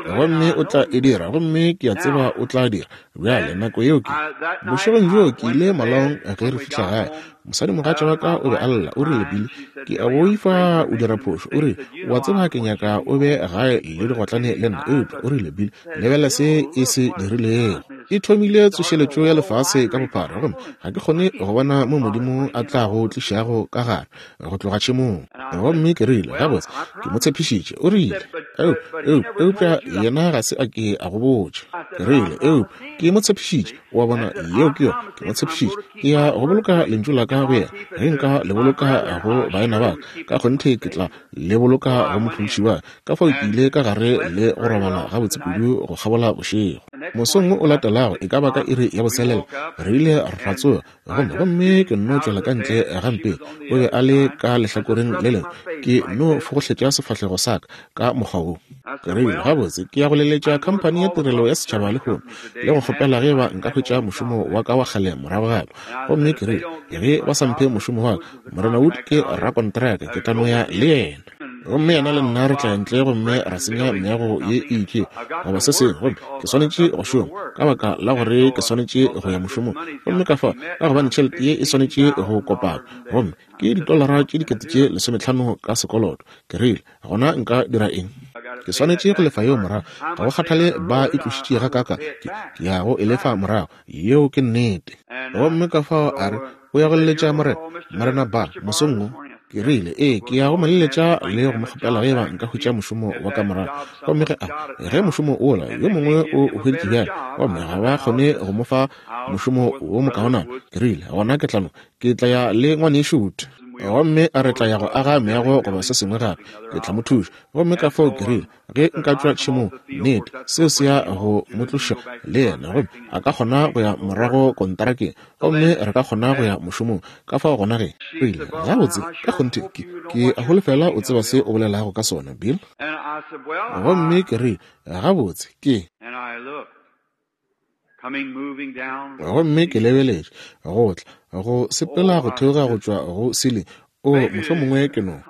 [SPEAKER 1] Gomme o tla e dira, gomme ke a tseba o tla dira. Bjale nako yeo ke bošegong bjo ke ile malaong ge re fihla gae. Mosadimogatša wa ka o be a lla, o rile, Billy, ke a boifa o dira phošo. O rile, o a tseba ke nyaka o be gae le digotlane le nna. Eupša o rile, Billy, lebelela se e se dirilego. E thomile tsošeletšo ya lefase ka bophara, gomme ga ke kgone go bona mo Modimo a tlago tlišago ka gare go tloga tšhemong. Gomme ke rile, gabotse, ke mo tshepišitše. O rile, eupša yena ga se a ke a go botša. Ke rile, eupša ke mo tshepišitše. O a bona, yeo ke yona, ke mo tshepišitše. Ke ya go boloka lentšu la ka go yena. Ge nka le boloka go baena ba ka, ka kgonthe ke tla le boloka go mophološi wa ka. Fao ke ile ka gare le go robala gabotse kudu go kgabola bošego. Mosong o latelago, e ka ba ka iri ya boselela, re ile ra tsoga, gomme gomme ke nno tšwela ka ntle gampe. O be a le ka lehlakoreng le lengwe, ke no fogohletša sefahlego sa ka ka mokgwa wo. Ke rile, gabotse, ke ya go leletša khamphani ya tirelo ya setšhaba lehono le go kgopela ge ba nka hwetša mošomo wa ka wa kgale morago gape. Gomme ke rile, ge ba sa mphe mošomo wa ka, Morena Wood ke rakontraka, ke tla no ya le yena. Gomme yena le nna re tla ntle gomme ra senya meago ye e itšego goba se sengwe. Gomme ke swanetše go šoma ka baka la gore ke swanetše go ya mošomong. Gomme ka fao, ka gobane tšhelete ye e swanetše go kopana, gomme ke ditolara tše dikete tše lesometlhano ka sekoloto. Ke rile, gona nka dira eng? Ke swanetše go lefa yeo morago. Ga go kgathale ba e tlošitše ga kaka, ke ya go e lefa morago. Yeo ke nnete. Gomme ka fao a re, o ya go leletša morena, Morena Bar, mosong wo. Ke rile, ee, ke ya go mo leletša le go mo kgopela ge ba nka hwetša mošomo wa ka morago. Gomme ge a, ge mošomo ola yo mongwe o o hweditše bjale, gomme ga ba kgone go mo fa mošomo wo mokaonana, ke rile, gona ke tla no, ke tla ya le ngwanešu Wood. Gomme a re tla ya go aga meago goba se sengwe gape, ke tla mo thuša. Gomme ka fao ke rile, ge nka tšwa tšhemong, nnete, seo se ya go mo tloša le yena, gomme a ka kgona go ya morago kontarakeng, gomme re ka kgona go ya mošomong. Ka fao gona ge, o ile, gabotse, ka kgonthe, ke, ke a holofela o tseba se o bolelago ka sona, Bill. Gomme ke rile, gabotse, ke. Gomme ke lebeletše go tla go sepela go theoga go tšwa go ceiling. O, mohlomongwe ke no.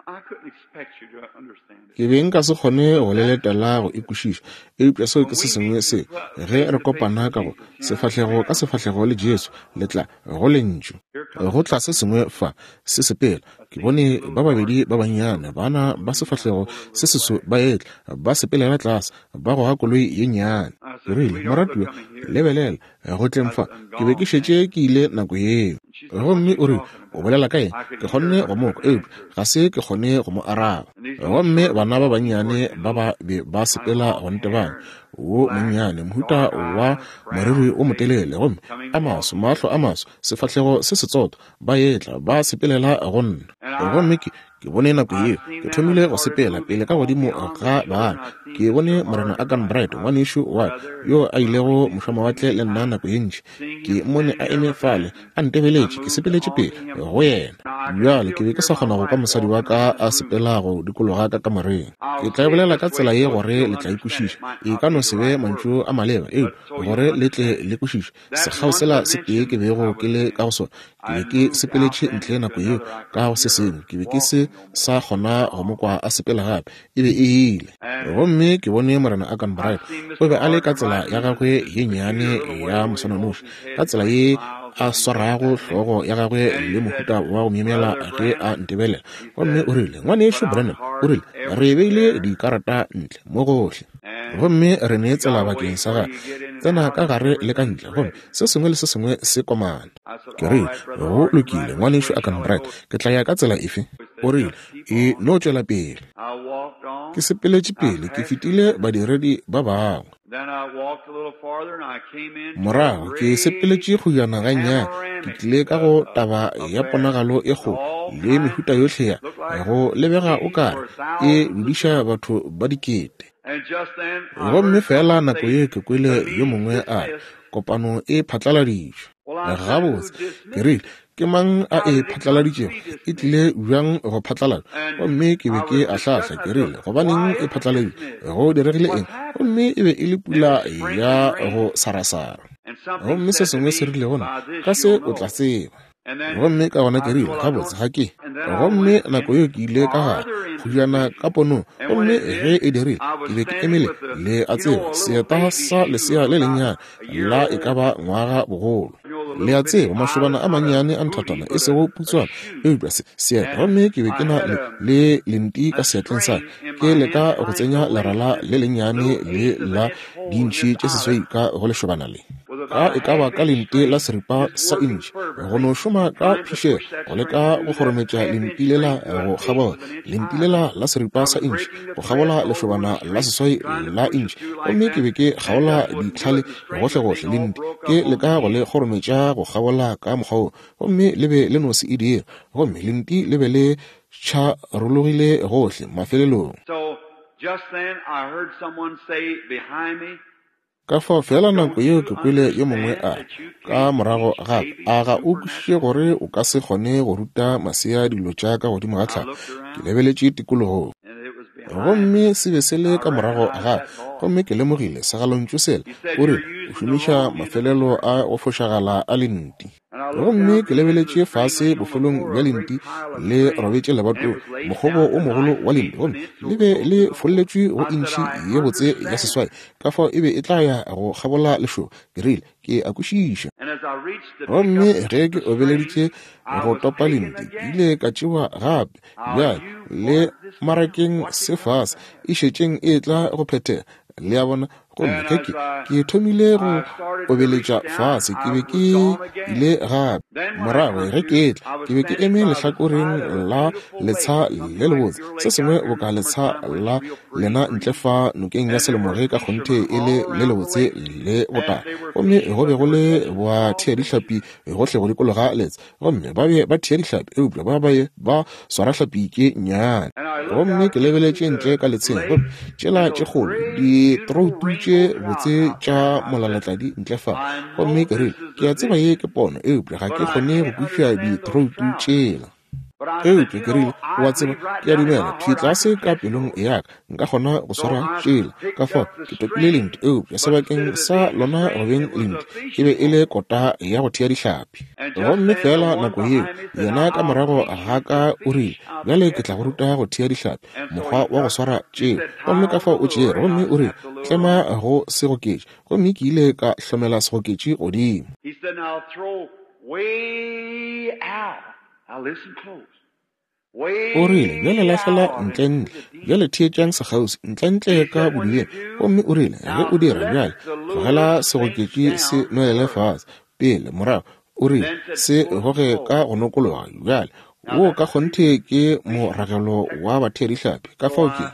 [SPEAKER 1] Ke be nka se kgone go le letela go e kwešiša, eupša seo ke se sengwe se ge re kopana ka go sefahlego ka sefahlego le Jesu, le tla go lentšu. Go tla se sengwe fa se sepela. Ke bone ba babedi ba bannyane bana ba sefahlego se seso ba etla, ba sepelela tlase, ba goga koloi ye nnyane. Ke rile, moratiwa, lebelela go tleng fa, ke be ke šetše ke ile nako yeo. Gomme o rile, o bolela ka eng? Ke kgonne go mo kwa, eupša ga se ke kgone go mo araba. Gomme bana ba bannyane ba ba be ba sepela go ntebana, wo monnyane, mohuta wa moriri o motelele, gomme a maso, mahlo a maso, sefahlego se setsoto, ba etla ba sepelela go nna. Gomme ke ke bone nako yeo ke thomile go sepela pele ka godimo ga bana. Ke bone Morena Agan Bright, ngwanešu wa yo a ilego mošwamawatle le nna nako ye ntši. Ke mmone a eme fale a ntebeletše, ke sepeletše pele go yena. Bjale ke be ke sa kgona go kwa mosadi wa ka a sepela go dikologa ka kamoreng. Ke tla e bolela ka tsela ye gore le tla e kwešiša. E ka no se be mantšu a maleba, eupša gore le tle le kwešiše. Sekgao sela se tee ke bego ke le ka go sona, ke be ke sepeletše ntle nako yeo ka go se sengwe. Ke be ke se sa kgona go mo kwa a sepela gape. E be e ile. Gomme ke bone Morena Arganbright. O be a le ka tsela ya gagwe ye nnyane ya moswananoši, ka tsela ye a swarago hlogo ya gagwe le mohuta wa go myemyela ge a ntebelela. Gomme o rile, Ngwanešu Branham, o rile, re beile dikarata ntle mo gohle, gomme re ne tsela bakeng sa gagwe, tsena ka gare le ka ntle, gomme se sengwe le se sengwe se komana. Ke rile, go lokile, Ngwanešu Arganbright, ke tla ya ka tsela efe? O rile, e no tšwela pele. Ke sepeletše pele, ke fetile badiredi ba bangwe. Morago ke sepeletše kgojana gannyane, ke tlile ka go taba ya ponagalo e kgolo le mehuta yohle ya go lebega o kare e dudiša batho ba dikete. Gomme fela nako ye ke kwele yo mongwe a re, kopano e phatlaladitšwe. Gabotse, ke rile, ke mang a e phatlaladitšego? E tlile bjang go phatlalatšwa? Gomme ke be ke ahlahla, ke rile, gobaneng e phatlaladitšwe? Go diregile eng? Gomme e be e le pula ya go sarasara. Gomme se sengwe se rile gona, ka se o tla tseba. Gomme ka gona ke rile, gabotse ga ke. Gomme nako yeo ke ile ka gare kgojana ka ponong, gomme ge e dirile, ke be ke emele le a tseba seeta sa lesea le lennyane la e ka ba ngwaga bogolo. Le a tseba mašobana a mannyane a nthatana, e sego putswana, eupša se seeta. Gomme ke be ke na le, le lenti ka seatleng sa ka, ke leka go tsenya lerala le lennyane le la dintšhi tše seswai ka go lešobana le. Ka e ka ba ka lenti la seripa sa intšhi, go no šoma ka phišego go leka go kgorometša lenti lela go kgabola lenti lela la seripa sa intšhi go kgabola lešobana la seswai la intšhi. Gomme ke be ke kgaola ditlhale gohlegohle lenti, ke leka go le kgorometša go kgabola ka mokgwa wo, gomme le be le no se e dire. Gomme lenti le be le tšharologile gohle mafelelong. Ka fao fela nako yeo ke kwele yo mongwe a ka morago gape, a ga o kwešiše gore o ka se kgone go ruta masea dilo tša ka godimo ga tlhago? Ke lebeletše tikologong, gomme se be se le ka morago gape, gomme ke lemogile segalontšu sela. O rile, o šomiša mafelelo a go fošagala a lenti. Gomme ke lebeletše fase bofelong bja lenti le robetše lebatong, mokgobo o mogolo wa lenti, gomme le be le folletšwe go intšhi ye botse ya seswai. Ka fao e be e tla ya go kgabola lešoba. Ke rile, ke a kwešiša. Gomme ge ke obeleditše go topa lenti, ke ile ka tšewa gape. Bjale le marakeng se fase e šetšeng e tla go phethega. Le a bona? Gomme ge ke ke thomile go obeletša fase, ke be ke ile gape. Morago ge ke etla, ke be ke eme lehlakoreng la letsha le lebotse, se sengwe boka letsha la lena ntle fa nokeng ya Selemoge, ka kgonthe e le le lebotse le botala. Gomme go be go le bathea dihlapi gohle go dikologa letsha, gomme ba be ba thea dihlapi, eupša ba be ba swara hlapi tše nnyane. Gomme ke lebeletše ntle ka letsheng, gomme tšela tše kgolo ditroutu tše botse tša molalatladi ntle fa. Gomme ke rile, ke a tseba ye ke pono, eupša ga ke kgone go kwešiša ditroutu tšela. Eupša ke rile, o a tseba, ke a dumela thwi tlase ka pelong ya ka nka kgona go swara tšela. Ka fao ke topile lenti, eupša sebakeng sa lona go beng lenti e be e le kota ya go thea dihlapi. Gomme fela nako yeo yena ka morago ga ka o rile, bjale ke tla go ruta go thea dihlapi, mokgwa wa go swara tšela. Gomme ka fao o tšere, gomme o rile, tlema go segoketši. Gomme ke ile ka hlomela segoketši godimo.
[SPEAKER 2] He said, now throw way out. Now listen close.
[SPEAKER 1] O rile, bjale lahlela ntlentle, bjale theetšang sekgauswi, ntlentle ka bodibeng. Gomme o rile, ge o dira bjale, tlogela segoketši se nwelele fase pele morago. O rile, se goge ka go nokologa. Bjale wo ka kgonthe ke moragelo wa bathea dihlapi. Ka fao ke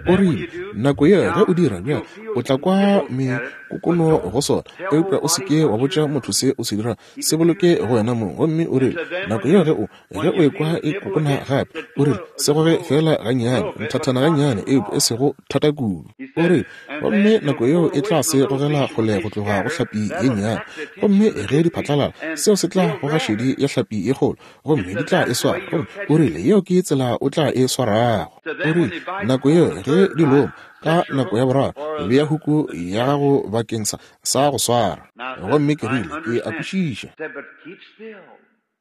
[SPEAKER 1] o rile, nako ye ge o dira bjale, o tla kwa mekokono go sona, eupša o se ke wa botša motho se o se dirago, se boloke go wena mong. Gomme o rile, nako ye ge o ge o ekwa e kokona gape, o rile, se goge fela gannyane, nthathana gannyane, eupša e sego thata kudu. O rile, gomme nako yeo e tla se gogela kgole go tloga go hlapi ye nnyane. Gomme ge di phatlalala, seo se tla goga šedi ya hlapi ye kgolo, gomme di tla e swara. swara. Gomme o rile, yeo ke tsela o tla e swarago. O rile, nako yeo ge di loma, ka nako ya boraro, bea huku ya gago bakeng sa, sa go swara. Gomme ke rile, ke a kwešiša.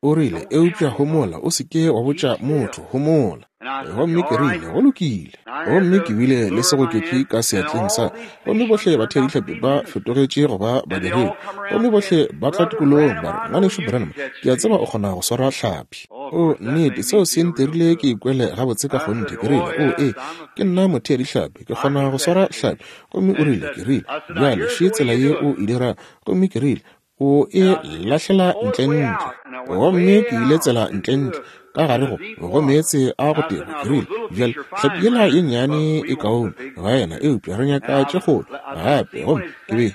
[SPEAKER 1] O rile, eupša homola, o se ke wa botša motho, homola. Gomme ke rile, go lokile. Gomme ke bile le segoketši ka seatleng sa. Gomme bohle batheadihlapi ba fetogetše go ba badiredi. Gomme bohle ba tla tikologong ba re, Ngwanešu Branham, ke a tseba o kgona go swara hlapi. O, nnete, seo se ntirile ke ikwele gabotse ka kgonthe. Ke rile, o, ee, ke nna motheadihlapi, ke kgona go swara hlapi. Gomme o rile, ke rile, bjale še tsela ye o e dirago. Gomme ke rile, o e lahlela ntlentle. Gomme ke ile tsela ntlentle ka gare go go meetse a go teba. Ke rile, bjale hlapi yela ye nnyane e kaone ga yena, eupša re nyaka tše kgolo gape. Gomme ke be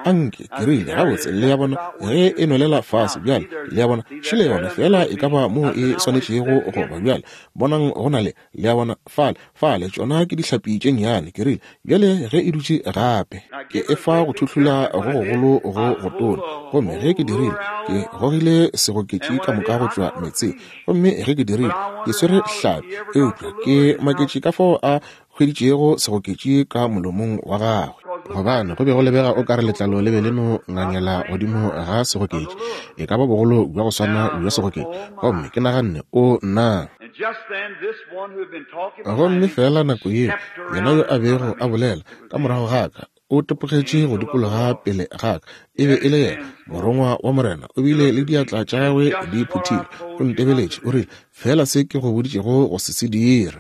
[SPEAKER 1] anke ke rile, gabotse, le ya bona ge e nwelela fase bjale, le ya bona šele yona fela e ka ba moo e swanetšego go ba. Bjale bonang go na le, le ya bona fale fale tšona ke dihlapi tše nnyane. Ke rile, bjale ge e dutše gape ke e fa go thuhlula go gogolo go go tona. Gomme ge ke dirile, ke gogile segoketši ka moka go tšwa meetseng. Gomme ge ke dirile, ke swere hlapi, eupša ke maketše ka fao a hweditšego segoketši ka molomong wa gagwe, gobane go be go lebega o ka re letlalo le be le no ngangela godimo ga segoketši, e ka ba bogolo bja go swana bja segoketši. Gomme ke naganne, o nna. Gomme fela nako yeo, yena yo a bego a bolela ka morago ga ka o tepogetše go dikologa pele ga ka. E be e le yena morongwa wa Morena. O bile le diatla tša gagwe di phuthile, o ntebeletše, o rile, fela se ke go boditšego go se se dire.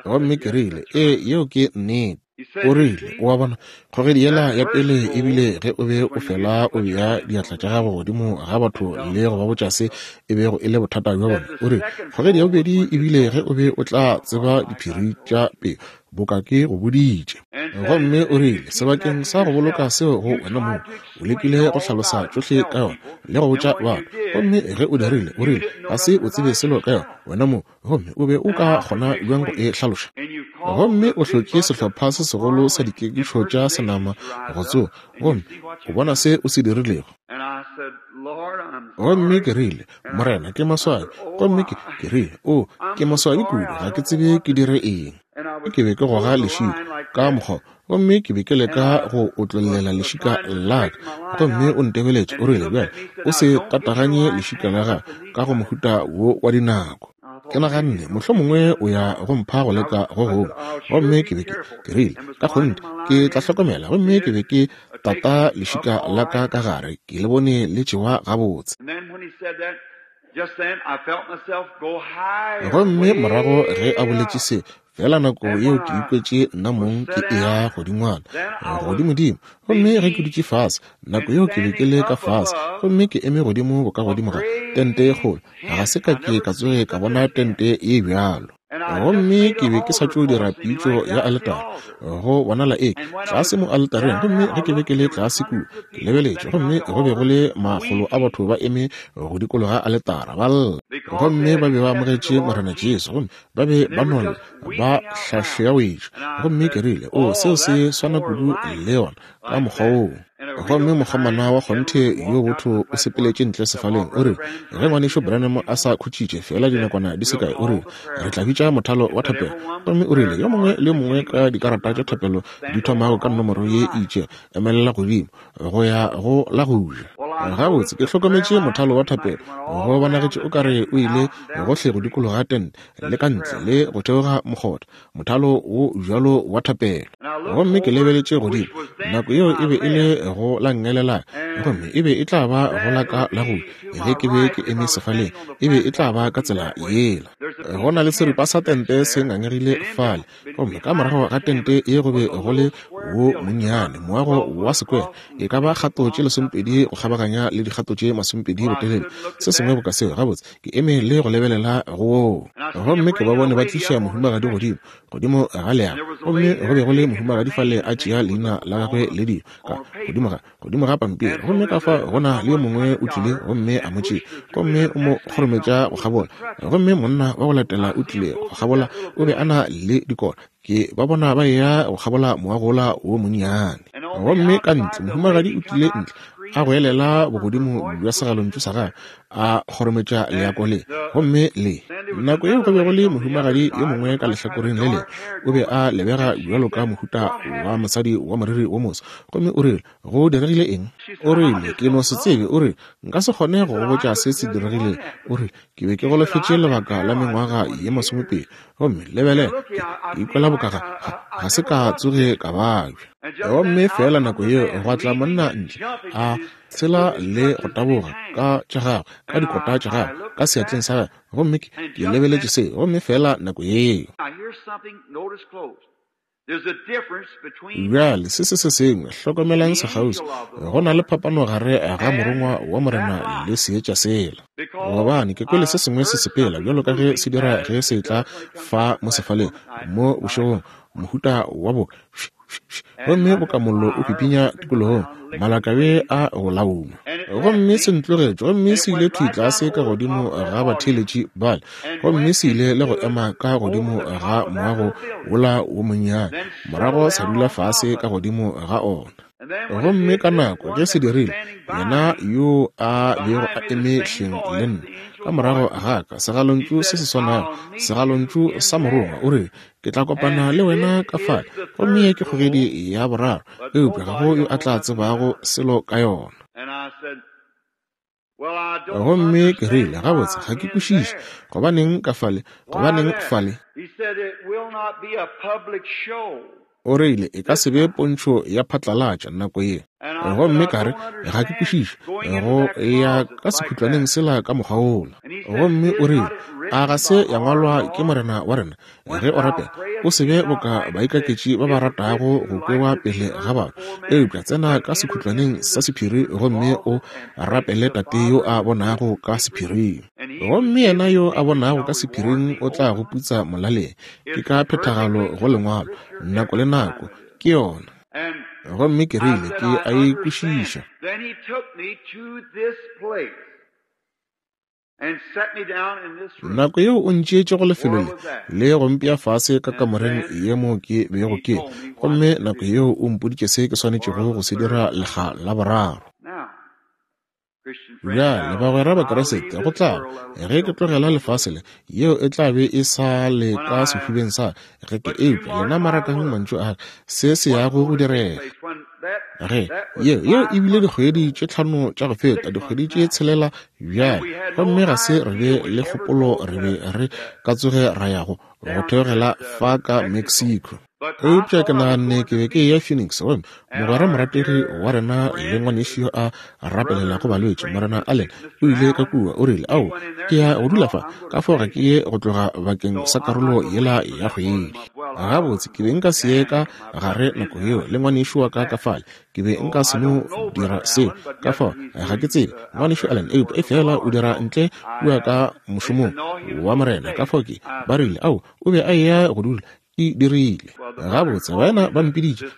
[SPEAKER 1] Gomme ke rile, ee, yeo ke nnete. O rile, o a bona, kgogedi yela ya pele ebile ge o be o fela o bea diatla tša gago godimo ga batho le go ba botša se e bego e le bothata bja bona. O rile, kgogedi ya bobedi ebile ge o be o tla tseba diphiri tša pelo, boka ke go boditše. Gomme o rile, sebakeng sa go boloka seo go wena moo, o lekile go hlalosa tšohle ka yona le go botša batho. Gomme ge o dirile, o rile, ga se o tsebe selo ka yona wena moo, gomme o be o ka kgona bjang go e hlaloša. Gomme o hlotše sehlopha se segolo sa dikekišo tša senama go tsoga, gomme o bona se o se dirilego. Gomme ke rile, Morena, ke maswabi. Gomme ke, ke rile, o, ke maswabi kudu, ga ke tsebe ke dire eng. Ke be ke goga lešika ka mokgwa, gomme ke be ke leka go otlollela lešika la ka. Gomme o ntebeletše, o rile, bjale o se tataganye lešika la gago ka go mohuta wo wa dinako. Ke naganne, mohlomongwe o ya go mpha go leka go gongwe. Gomme ke be ke, ke rile, ka kgonthe ke tla hlokomela. Gomme ke be ke tata lešika la ka ka gare, ke le bone le tšewa gabotse. Gomme morago ge a boletše se, fela nako yeo ke ikwetše nna mong ke eya godingwana, godimodimo. Gomme ge ke dutše fase, nako yeo ke be ke le ka fase, gomme ke eme godimo boka godimo ga tente ye kgolo. Ga se ka ke ka tsoge ka bona tente ye bjalo. Gomme ke be ke sa tšo dira pitšo ya aletare, go bonala e tlase mo aletareng. Gomme ge ke be ke le tlase kua, ke lebeletše, gomme go be go le makgolo a batho ba eme go dikologa aletara ba lla. Gomme ba be ba amogetše Morena Jesu, gomme ba be ba nolla ba hlahleawetše. Gomme ke rile, o, seo se swana kudu le yona ka mokgwa woo. Gomme mokgomana wa kgonthe yo botho o sepeletše ntle sefaleng. O rile, ge ngwanešu Branham a sa khutšitše fela dinakwana di se kae, o rile, re tla bitša mothalo wa thapelo. Gomme o rile, yo mongwe le yo mongwe ka dikarata tša thapelo di thomago ka nomoro ye e itšego, emelela godimo go ya go la go ja. Gabotse, ke hlokometše mothalo wa thapelo, go bonagetše o ka re o ile gohle go dikologa tente le ka ntle le go theoga mokgotha, mothalo wo bjalo wa thapelo. Gomme ke lebeletše godimo, nako yeo e be e le go la nngele, gomme e be e tla ba go la ka la go ge ke be ke eme sefaleng, e be e tla ba ka tsela yela. Go na le seripa sa tente se ngangegile fale, gomme ka morago ga tente ye go be go le wo monnyane moago wa sekwere, e ka ba kgato tše lesomepedi go kgabaganya le dikgato tše masomepedi botelele, se sengwe boka seo. Gabotse, ke eme le go lebelela go woo. Gomme ke ba bone ba tliša mohumagadi godimo godimo ga leago, gomme go be go le mohumagadi fale a tšea leina la gagwe le dilo ka godimo ga godimo ga pampiri. Gomme ka fa go na le yo mongwe o tlile gomme a mo tšea, gomme o mo kgorometša go kgabola. Gomme monna wa go latela o tlile go kgabola, o be a na le dikota. Ke ba bona ba eya go kgabola moagola wo monnyane. Gomme ka ntle mohumagadi o tlile ntle a goelela bogodimo bja segalontšu sa gagwe, a kgorometša leako le. Gomme le nako yeo go be go le mohumagadi yo mongwe ka lehlakoreng le lengwe, o be a lebega bjalo ka mohuta wa mosadi wa moriri wo moso. Gomme o rile, go diregile eng? O rile, ke no se tsebe. O rile, nka se kgone go go botša se se diregilego. O rile, ke be ke golofetše lebaka la mengwaga ye masomepedi. Gomme lebelela, ke ikwela boka ga, ga se ka tsoge ka babja. Gomme fela nako yeo gwa tla monna ntle, a tshela le go taboga ka tša gagwe, ka dikota tša gagwe, ka seatleng sa gagwe. Gomme ke, ke lebeletše se, gomme fela nako yeo. Bjale se se se sengwe, hlokomelang sekgauswi, go na le phapano gare ga morongwa wa Morena le seetša sela. Gobane ke kwele se sengwe se sepela bjalo ka ge se dira ge se tla fa mo sefaleng mo bošegong, mohuta wa bo gomme bokamollo o pipinya tikologong, malakabe a go lauma. Gomme se ntlogetše, gomme se ile thwi tlase ka godimo ga batheeletši bale, gomme se ile le go ema ka godimo ga moago wola wo monnyane, morago sa dula fase ka godimo ga ona. Gomme ka nako ge se dirile, yena yo a bego a eme hleng le nna ka morago ga ka, segalontšu se se swanago, segalontšu sa morongwa, o rile, ke tla kopana le wena ka fale. Gomme ye ke kgogedi ya boraro, eupša ga go yo a tla tsebago selo ka yona. Gomme ke rile, gabotse, ga ke kwešiše gobaneng ka fale, gobaneng fale. O rile, e ka se be pontšho ya phatlalatša nako ye. Gomme ka re, ga ke kwešiše go ya ka sekhutlwaneng sela ka mokgwa wola. Gomme o rile, a ga se ya ngwalwa ke Morena wa rena, ge o rapela, o se be boka baikaketši ba ba ratago go kwewa pele ga batho, eupša tsena ka sekhutlwaneng sa sephiri gomme o rapele Tate yo a bonago ka sephiring. Gomme yena yo a bonago ka sephiring o tla go putsa molaleng. Ke ka phethagalo go lengwalo, nako le nako, ke yona. Gomme ke rile, ke a e kwešiša. Nako yeo o ntšeetše go lefelo le, le go mpea fase ka kamoreng ye mo ke bego ke, gomme nako yeo o mpoditše se ke swanetšego go se dira lekga la boraro. Bjale bagwera ba Kriste, go tla ge ke tlogela lefase le, yeo e tla be e sa le ka sefubeng sa ge ke, eupša lena marakang mantšu a se se yago go direga. Ge yeo yeo e bile dikgwedi tše tlhano tša go feta, dikgwedi tše tshelela bjale, gomme ga se re be le kgopolo re be re ka tsoge ra yago go theogela fa ka Mexico. Eupša ke naganne ke be ke eya Phoenix, gomme mogwera morategi wa rena le ngwanešu yo a rapelelago balwetši, Morena Allen, o ile ka kua. O rile, ao, ke ya go dula fa, ka fao ga ke ye go tloga bakeng sa karolo yela ya kgwedi. Gabotse, ke be nka se ye ka gare nako yeo le ngwanešu wa ka ka fale, ke be nka se no dira seo, ka fao ga ke tsebe ngwanešu Allen, eupša e fela o dira ntle kua ka mošomong wa Morena. Ka fao ke ba rile, ao, o be a eya go dula. E dirile. Gabotse, baena ba mpiditše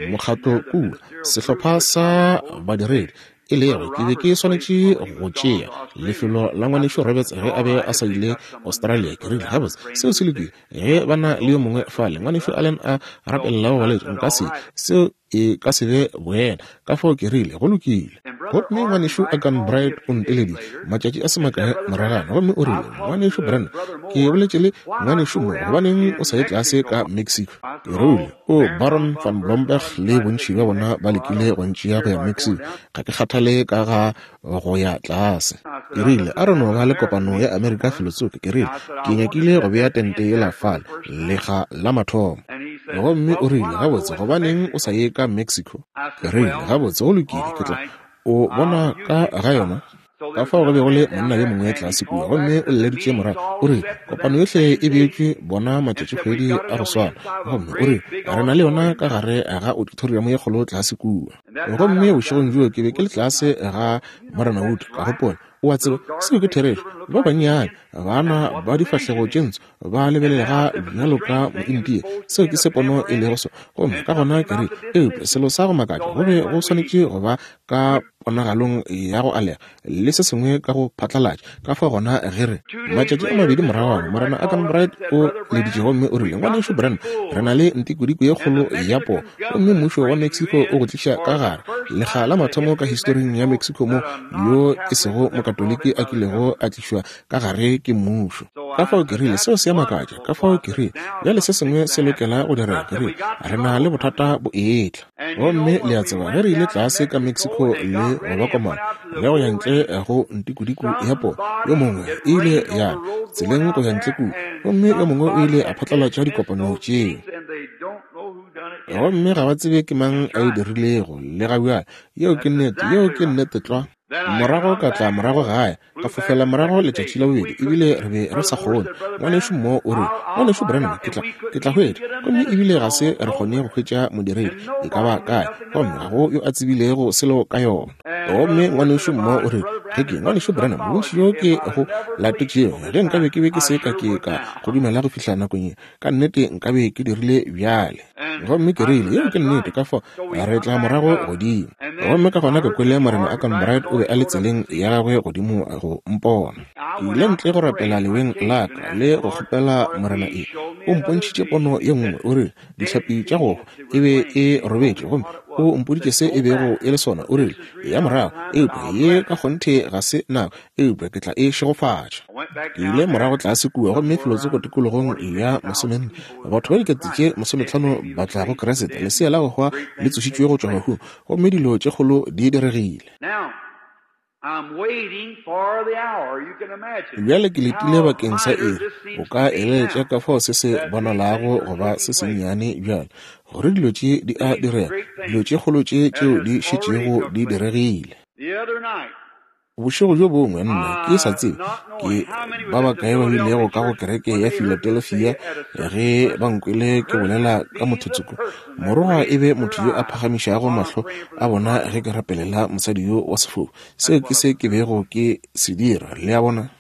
[SPEAKER 1] mokgatlo kua, sehlopha sa badiredi, e lego ke be ke swanetše go tšea lefelo la ngwanešu Roberts ge a be a sa ile Australia. Ke rile, gabotse, seo se lokile, ge ba na le yo mongwe fale, ngwanešu Allen a rapelelago balwetši, nka se, seo e ka se be boena. Ka fao ke rile, go lokile. Gomme ngwanešu Akan Bright o nteleditše matšatši a se makae moragana, gomme o rile, ngwanešu Brand, ke boletše le ngwanešu mo, gobaneng o sa ye tlase ka Mexico? Ke rile, o Baron van Blomberg le bontši bja bona ba lekile go ntšea go ya Mexico, ga ke kgathale ka ga go ya tlase. Ke rile, a re no ba le kopano ya Amerika felotsoko. Ke rile, ke nyakile go bea tente yela fale lekga la mathomo. Gomme o rile, gabotse, gobaneng o sa ye ka Mexico? Ke rile, gabotse, go lokile, ke tla o bona ka ga yona. Ka fao go be go le monna yo mongwe tlase kua, gomme o leleditše morago, o rile, kopano yohle e beetšwe bona matšatšikgwedi a go swana, gomme o rile, re na le yona ka gare ga auditorium ye kgolo tlase kua. Gomme bošegong bjoo ke be ke le tlase ga Morena Wood, ka gopola, o a tseba, seo ke therešo, ba bannyane bana ba difahlego tše ntsho ba lebelelega bjalo ka moindia, seo ke se pono e lego sona. Gomme ka gona ke rile, eupša selo sa go makatša, go be go swanetše go ba ka ponagalong ya go alega le se sengwe ka go phatlalatša. Ka fao gona ge re matšatši a mabedi moragwana, Morena Arganbright o leditše gomme o rile, Ngwanešu Branham, re na le ntikodiko ye kgolo ya poo, gomme mmušo wa Mexico o go tliša ka gare lekga la mathomo ka historing ya Mexico mo yo e sego mokatoliki a kilego a tlišwa ka gare ke mmušo. Ka fao ke rile, seo se a makatša. Ka fao ke rile, bjale se sengwe se lokela go direga. Ke rile, re na le bothata bo etla. Gomme le a tseba, ge re ile tlase ka Mexico le go ba komana le go ya ntle go ntikodiko ya poo, yo mongwe e ile ya tseleng go ya ntle kua, gomme yo mongwe o ile a phatlalatša dikopano tšeo, gomme ga ba tsebe ke mang a e dirilego le ga bjale. Yeo ke nnete, yeo ke nnete tlwa. Morago ka tla morago gae, ka fofela morago letšatši la bobedi, ebile re be re sa kgone. Ngwanešu Mo o re, Ngwanešu Branham, ke tla ke tla hwetša. Gomme ebile ga se re kgone go hwetša modiredi e ka ba kae, gomme ga go yo a tsebilego selo ka yona. Gomme ngwanešu Mo o re, ge ke Ngwanešu Branham, bontši bjo ke go latetšego, ge nkabe ke be ke se ka ke ka go dumela go fihla nakong ye, ka nnete nkabe ke dirile bjale. Gomme ke rile, yeo ke nnete. Ka fao re tla morago godimo. Gomme ka gona ke kwele Morena Arganbright o be a le tseleng ya gagwe godimo go mpona. Ke ile ntle go rapela leweng la ka le go kgopela Morena e. O mpontšhitše pono ye nngwe, o rile dihlapi tša go e be e robetše, gomme o mpoditše se e bego e le sona. O rile ya morago, eupša ye ka kgonthe ga se nako, eupša ke tla e šegofatša. Ke ile morago tlase kua, gomme felotsoko tikologong ya masomenne, batho ba dikete tše masometlhano ba tla go Kriste, lesea la go hwa le tsošitšwe go tšwa bahung, gomme dilo tše kgolo di diregile. Bjale ke letile bakeng sa iri. O ka eleletša ka fao se se bonalago go ba se sennyane bjale, gore dilo tše di a direga, dilo tše kgolo tše tšeo di šetšego di diregile. Bošego bjo bongwe nna ke sa tsebe ke ba bakae ba bilego ka go kereke ya Philadelphia ge ba nkwele ke bolela ka mothotsoko. Morongwa e be motho yo a phagamišago mahlo a bona ge ke rapelela mosadi yo wa sefofu. Seo ke se ke bego ke se dira, le a bona.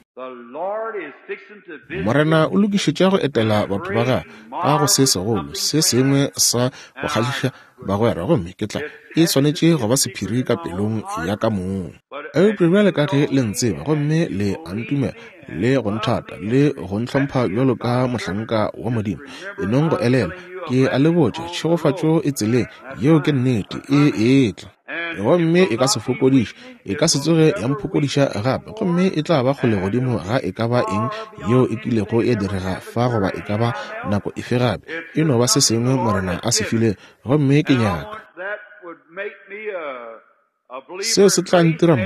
[SPEAKER 1] Morena o lokišetša go etela batho ba gagwe ka go se segolo se sengwe sa go kgahliša bagwera, gomme ke tla e swanetše go ba sephiri ka pelong ya ka mong. Eupša bjale ka ge le ntseba gomme le a ntumela le go nthata le go ntlhompha bjalo ka mohlanka wa Modimo, e nong go elelwa, ke a le botša, tšhegofatšo e tseleng, yeo ke nnete, e etla. Gomme e ka se fokodiše, e ka se tsoge ya mphokodiša gape, gomme e tla ba kgole godimo ga e ka ba eng yeo e kilego ya direga fa goba e ka ba nako efe gape. E no ba se sengwe Morena a se file, gomme ke nyaka seo se tla ntira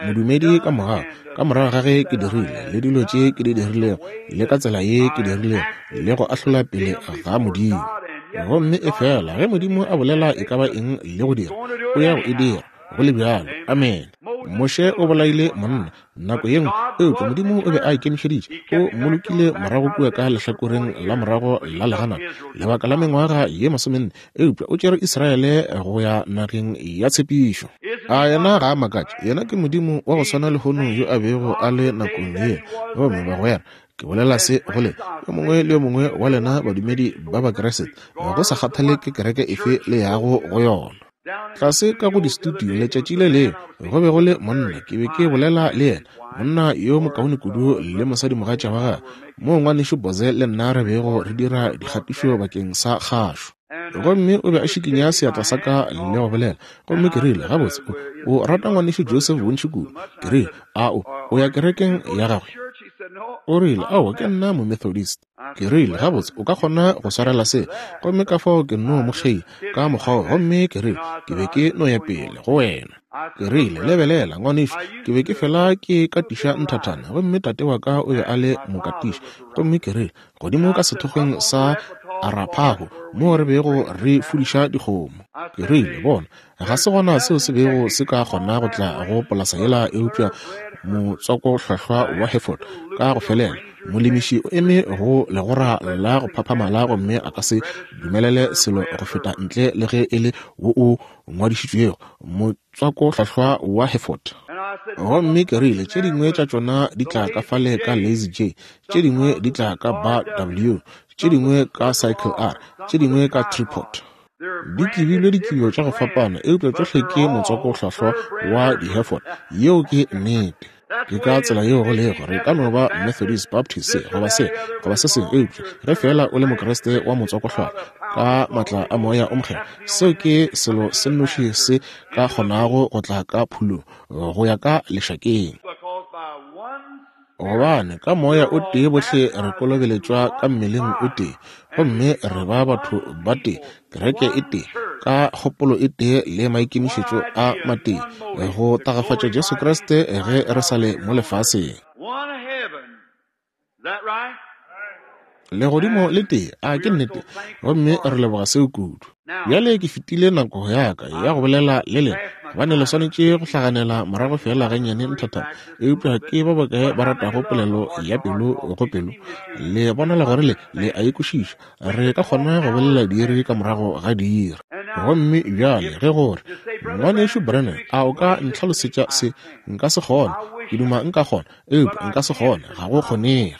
[SPEAKER 1] modumedi ka morago, ka morago ga ge ke dirile le dilo tše ke di dirilego le ka tsela ye ke dirilego le go ahlola pele ga Modimo. Gomme e fela ge Modimo a bolela e ka ba eng le go dira, o ya go e dira go le bjalo. Amen. Moshe o bolaile monna nako ye nngwe, eupša Modimo o be a ikemišeditše, o mmolokile morago kua ka lehlakoreng la morago la leganata lebaka la mengwaga ye masomenne, eupša o tšere Israele go ya nageng ya tshepišo. A yena ga a makatše? Yena ke Modimo wa go swana lehono yo a bego a le nakong yela. Gomme bagwera, ke bolela se go le yo mongwe le yo mongwe wa lena badumedi ba Bakriste, go sa kgathale ke kereke efe le yago go yona. Tlase ka go di-studio letšatši le lengwe go be go le monna, ke be ke bolela le yena, monna yo mokaone kudu le mosadimogatša wa gagwe, moo ngwanešu Boze le nna re bego re dira dikgatišo bakeng sa kgašo. Gomme o be a šikinya seatla sa ka le go bolela, gomme ke rile, gabotse, o rata ngwanešu Joseph bontši kudu. Ke rile, a o o ya kerekeng ya gagwe? O rile, aowa, ke nna mo-Methodist. Ke rile, gabotse, o ka kgona go swarela se. Gomme ka fao ke no mo kgeila ka mokgwa, gomme ke rile, ke be ke no ya pele go wena. Ke rile, lebelela ngwanešu, ke be ke fela ke katiša nthathana, gomme tate wa ka o be a le mokatiši. Gomme ke rile, godimo ka sethokgweng sa Arapaho moo re bego re fudiša dikgomo. Ke rile, bona, ga se gona seo se bego se ka kgona go tla go polasa yela eupša motswakohlwahlwa wa Hereford ka go felela. Molemiši o eme go legora la go phaphamala gomme a ka se dumelele selo go feta ntle le ge e le wo o ngwadišitšwego, motswakohlwahlwa wa Hereford. Gomme ke rile, tše dingwe tša tšona di tla ka fale ka Lazy J, tše dingwe di tla ka Bar W, tše dingwe ka Cycle R, tše dingwe ka Tripod. Di tlibilwe ditlibo tša go fapana, eupša tšohle ke motswakohlwahlwa wa di-Hereford. Yeo ke nnete. Ke ka tsela yeo go lego. Re ka no ba Methodist, Baptist, se goba se goba se sengwe, eupša ge feela o le Mokriste wa motswakohlwahlwa ka maatla a Moya o Mokgethwa, seo ke selo se nnoši se ka kgonago go tla ka phulong go ya ka lešakeng. Gobane ka Moya o tee bohle re kolobeletšwa ka mmeleng o tee, gomme re ba batho ba tee, kereke e tee, ka kgopolo e tee le maikemišetšo a matee, go tagafatša Jesu Kriste ge re sa le mo lefaseng. Legodimo le tee, a ke nnete, gomme re leboga seo kudu. Bjale ke fetile nako ya ka ya go bolela le lena, gobane le swanetše go hlaganela morago fela gannyane nthathana. Eupša ke ba bakae ba ratago polelo ya pelo go pelo? Le bonala gore le le a e kwešiša. Re ka kgona go bolela diiri ka morago ga diiri. Gomme bjale ge gore ngwanešu Branham, a o ka ntlhalosetša se? Nka se kgone. Ke duma nka kgona, eupša nka se kgone. Ga go kgonege.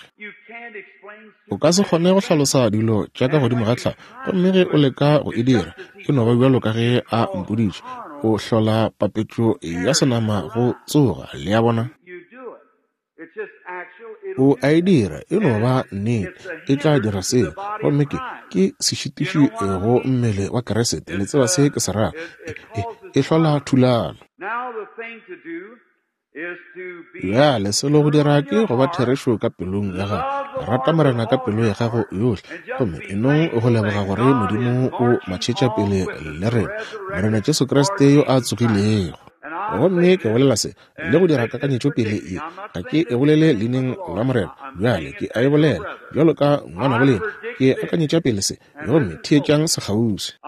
[SPEAKER 1] O ka se kgone go hlalosa dilo tša ka godimo ga tlhago, gomme ge o leka go e dira, e no ba bjalo ka ge a mpoditše, o hlola papetšo ya senama go tsoga. Le a bona? O a e dira, e no ba nnete, e tla dira seo. Gomme ke ke sešitiši go mmele wa Kriste. Le tseba se ke se rago. E, e, e hlola thulano. Bjale selo go dira ke go ba therešo ka pelong ya gago. Rata Morena ka pelo ya gago yohle, gomme e nong go leboga gore Modimo o matšhetša pele le rena, Morena Jesu Kriste yo a tsogilego. Gomme ke bolela se le go dira kakanyetšo pele ye, ga ke e bolele leineng la Morena. Bjale ke a e bolela bjalo ka ngwana bolena, ke akanyetša pele se, gomme theetšang sekgauswi.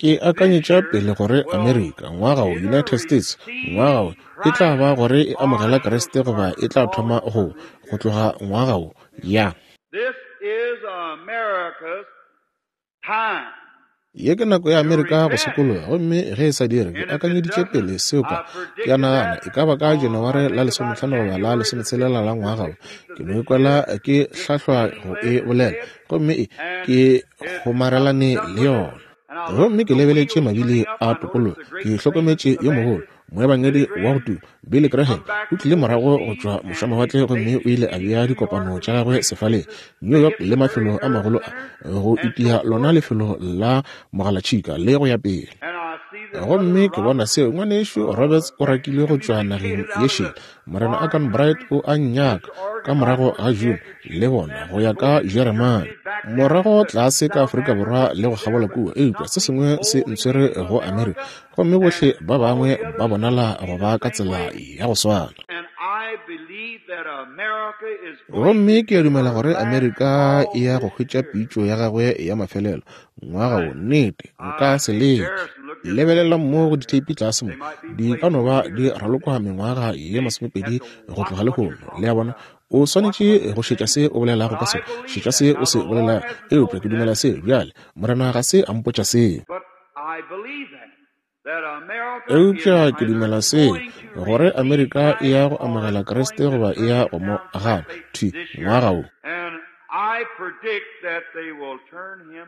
[SPEAKER 1] Ke akanyetša pele gore Amerika ngwaga wo, United States ngwaga wo, e tla ba gore e amogela Kriste goba e tla thoma go go tloga ngwaga wo. Ya. Ye ke nako ya Amerika go sokologa, gomme ge e sa dire, ke akanyeditše pele seo ka ke a nagana e ka ba ka Janaware la lesomehlano goba la lesometshelela la ngwaga wo. Ke no ikwela ke hlahlwa go e bolela, gomme e ke gomarelane le yona. Gomme ke lebeletše mabili a tokologo, ke hlokometše yo mogolo moebangedi wa go tuma Billy Graham o tlile morago go tšwa mošamawatle, gomme o ile a bea dikopano tša gagwe sefaleng New York le mafelo a magolo a go itia lona lefelo la mogalatšhika le go ya pele. Gomme ke bona seo ngwanešu Roberts o rakilwe go tšwa nageng ye šele. Morena Akan Bright o a nnyaka ka morago ga June le bona go ya ka Jeremane, morago tlase ka Afrika Borwa le go kgabola kua, eupša se sengwe se ntshwere go Amerika, gomme bohle ba bangwe ba bonala go ba ka tsela ya go swana. Gomme ke a dumela gore Amerika e ya go hwetša pitšo ya gagwe ya mafelelo ngwaga wo. Nnete, nka se leke. Lebelelang mo go ditheipi tlase mo, di ka no ba di ralokwa mengwaga ye masomepedi go tloga lehono. Le a bona? O swanetše go šetša se o bolelago ka sona, šetša se o se bolelago. Eupša ke dumela se bjale. Morena ga se a mpotša seo, eupša ke dumela seo, gore Amerika e ya go amogela Kriste goba e ya go mo gana thwi ngwaga wo.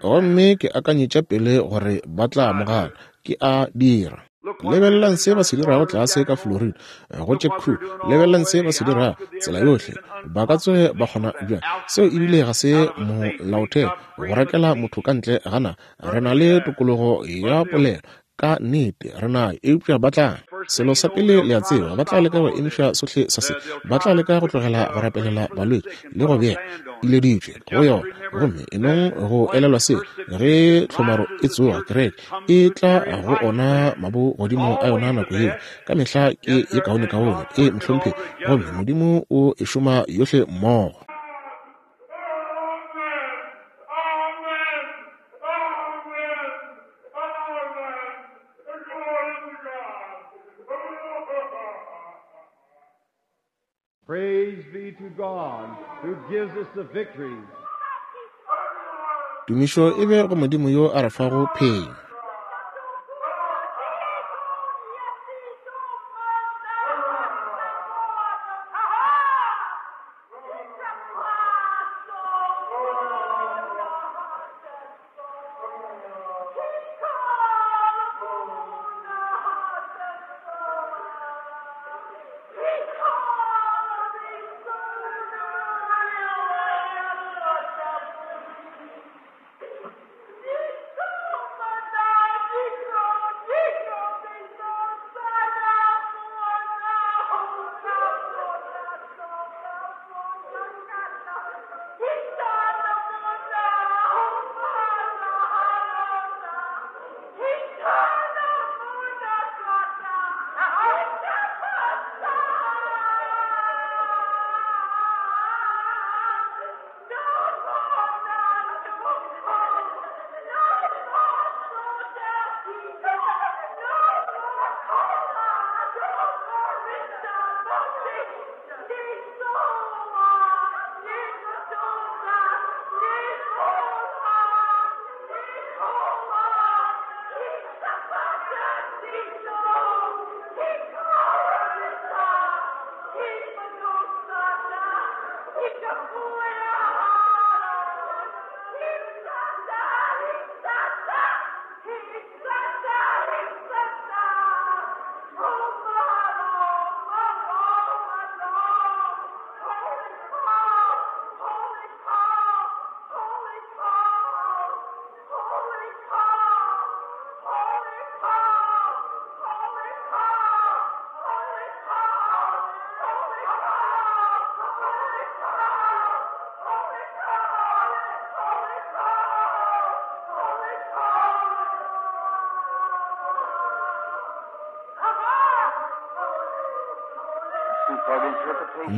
[SPEAKER 1] Gomme ke akanyetša pele gore ba tla mo gana. Ke a dira. Lebelelang se ba se dirago tlase ka Florida go tše crew. Lebelelang se ba se dirago tsela yohle. Ba ka tsoge ba kgona bjang seo? Ebile ga se molaotheo go rakela motho ka ntle ga naga. Re na le tokologo ya polelo ka nnete, re nayo, eupša ba tla selo sa pele le a tseba, ba tla leka go emiša sohle sa se, ba tla leka go tlogela go rapelela balwetši le go bea ileditšwe go yona. Gomme e nong go elelwa se, ge tlhomaro e tsoga, kereke e tla go ona mabo godimo a yona nako yeo. Ka mehla ke ye kaonekaone e mohlomphegi, gomme Modimo o e šoma yohle mmogo.
[SPEAKER 2] Praise be to God who gives us the victory.
[SPEAKER 1] Tumišo e be go Modimo yo a re fago phenyo.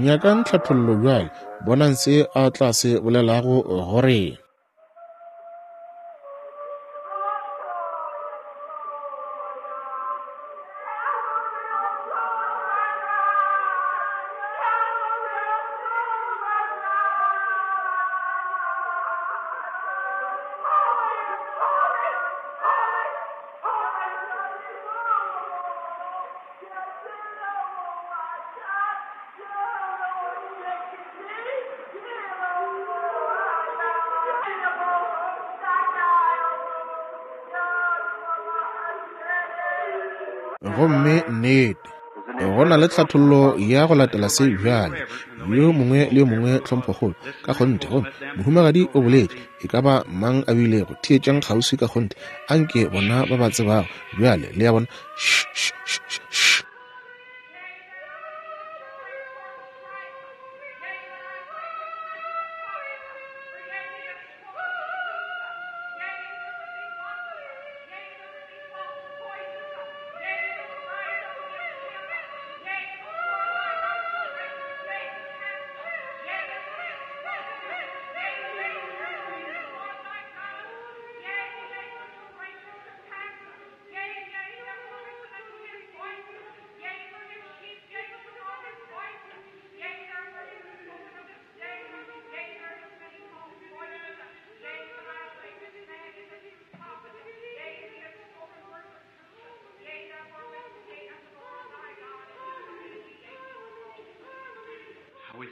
[SPEAKER 1] Nyakang tlhathollo bjale, bonang se a tla se bolelago go rena. Gomme nnete go na le tlhathollo ya go latela se bjale. Yo mongwe le yo mongwe tlhomphokgolo ka kgonthe. Gomme mohumagadi o boletše, e ka ba mang a bilego, theetšang kgauswi ka kgonthe, anke bona ba ba tsebago bjale, le ya bona. Sh, sh, sh, sh.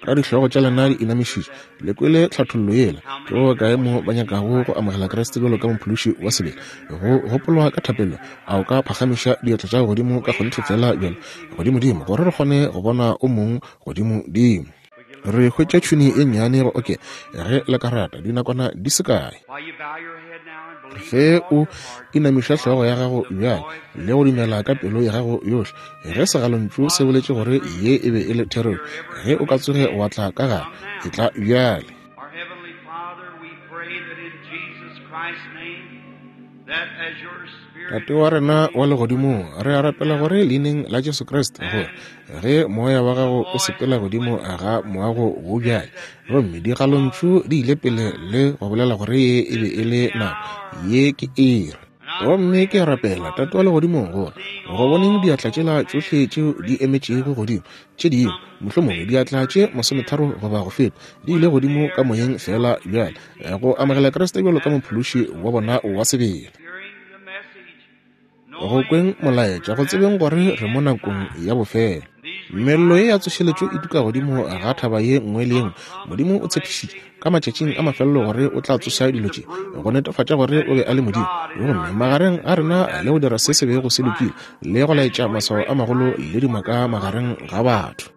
[SPEAKER 1] Ka dihlogo tša lena di inamišitše, le kwele tlhathollo yela. Ke ba bakae mo ba nyakago go amogela Kriste bjalo ka mophološi wa sebele, go gopolwa ka thapelo? A o ka phagamiša diatla tša godimo ka kgonthe fela bjalo godimodimo, gore re kgone go bona o mong godimodimo. Re hwetša tšhuni e nnyane go oke ge le ka rata dinakwana di se kae. Ge o inamiša hlogo ya gago bjale le go dumela ka pelo ya gago yohle, ge segalontšu se boletše gore ye e be e le therešo, ge o ka tsoge wa tla ka gare, e tla bjale. Tate wa rena wa legodimong, re a rapela gore leineng la Jesu Kriste, gore ge moya wa gago o sepela godimo ga moago wo bjale, gomme digalontšu di ile pele le go bolela gore ye e be e le nako, ye ke iri. Gomme ke a rapela, Tate wa legodimong, gore go boneng diatla tšela tšohle tšeo di emetšego godimo, tše dingwe mohlomongwe diatla tše masometharo goba go feta di ile godimo ka moyeng fela bjale, go amogela Kriste bjalo ka mophološi wa bona wa sebele. Go kweng molaetša, go tsebeng gore re mo nakong ya bofelo. Mello ye ya tsošeletšo e tuka godimo ga thaba ye nngwe le ye nngwe. Modimo o tshepišitše ka matšatšing a mafelelo gore o tla tsoša dilo tše, go netefatša gore o be a le Modimo, gomme magareng a rena le go dira se se bego se lokile, le go laetša maswao a magolo le dimaka magareng ga batho,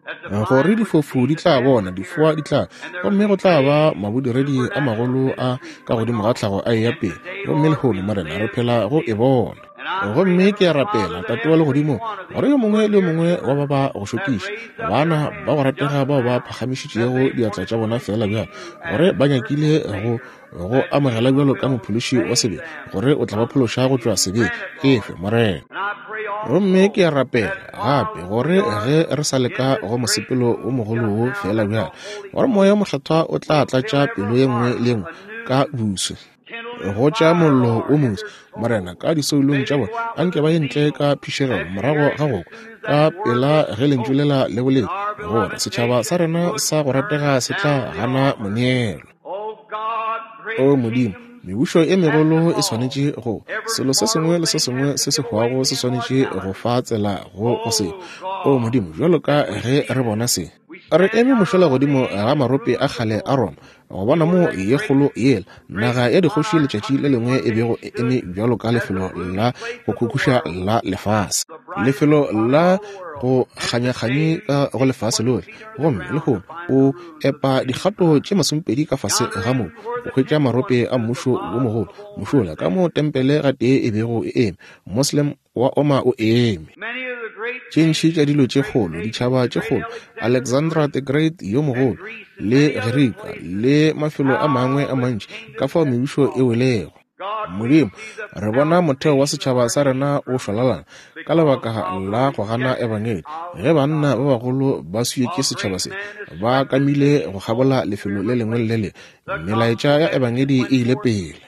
[SPEAKER 1] gore difofu di tla bona, difoa di tla, gomme go tla ba mabodiredi a magolo a ka godimo ga tlhago a eya pele. Gomme lehono, Morena, re phela go e bona. Gomme ke a rapela, Tate wa legodimo, gore yo mongwe le yo mongwe wa ba ba go šokiša, bana ba go ratega bao ba phagamišitšego diatla tša bona fela bjalo, gore ba nyakile go go amogela bjalo ka mophološi wa sebe, gore o tla ba phološa go tšwa sebeng. Efe, Morena. Gomme ke a rapela gape gore ge re sa leka go mosepelo o mogolo wo fela bjalo, gore moya o mokgethwa o tla tlatša pelo ye nngwe le ye nngwe ka boswe, go tša mollo o moso, Morena, ka disoulong tša bona. Anke ba ye ntle ka phišegelo morago ga go kwa ka pela ge lentšu lela le boletše, gore setšhaba sa rena sa go ratega se tla gana moneelo. O Modimo, mebušo e megolo e swanetše go, selo se sengwe le se sengwe se se hwago se swanetše go fa tsela go go se. O Modimo, bjalo ka ge re bona se, re eme mošola godimo ga marope a kgale a Roma, go bona mo ye kgolo yela naga ya dikgoši letšatši le lengwe e bego e eme bjalo ka lefelo la go khukhuša la lefase, lefelo la go kganyakganye ka go lefase lohle. Gomme lehono o epa dikgato tše masomepedi ka fase ga moo o hwetša marope a mmušo wo mogolo mošola ka mo tempele gatee e bego e eme, Muslim wa oma o eme. Tše ntši tša dilo tše kgolo, ditšhaba tše kgolo, Alexandra the Great yo mogolo, le Gerika le mafelo a mangwe a mantši, ka fao mebušo e welego. Modimo, re bona motheo wa setšhaba sa rena o šwalalana ka lebaka la go gana ebangedi. Ge banna ba bagolo ba swietše setšhaba se, ba kamile go kgabola lefelo le lengwe le le lengwe, melaetša ya ebangedi e ile pele.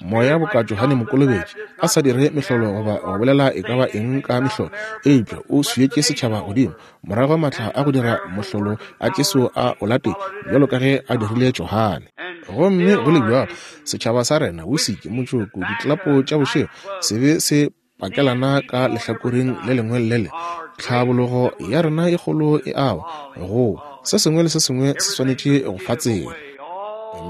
[SPEAKER 1] Moya boka Johane Mokolobetši a sa dire mehlolo goba go bolela e ka ba eng ka mehlolo, eupša o swietše setšhaba godimo morago maatla a go dira mohlolo a Jesu a o latetše bjalo ka ge a dirile Johane. Gomme go le bjalo setšhaba sa rena, wisiki, motšoko, diklapo tša bošego, se be se pakelana ka lehlakoreng le lengwe le le. Tlhabologo ya rena e kgolo e awa go se sengwe le se sengwe se swanetše go fa tsela.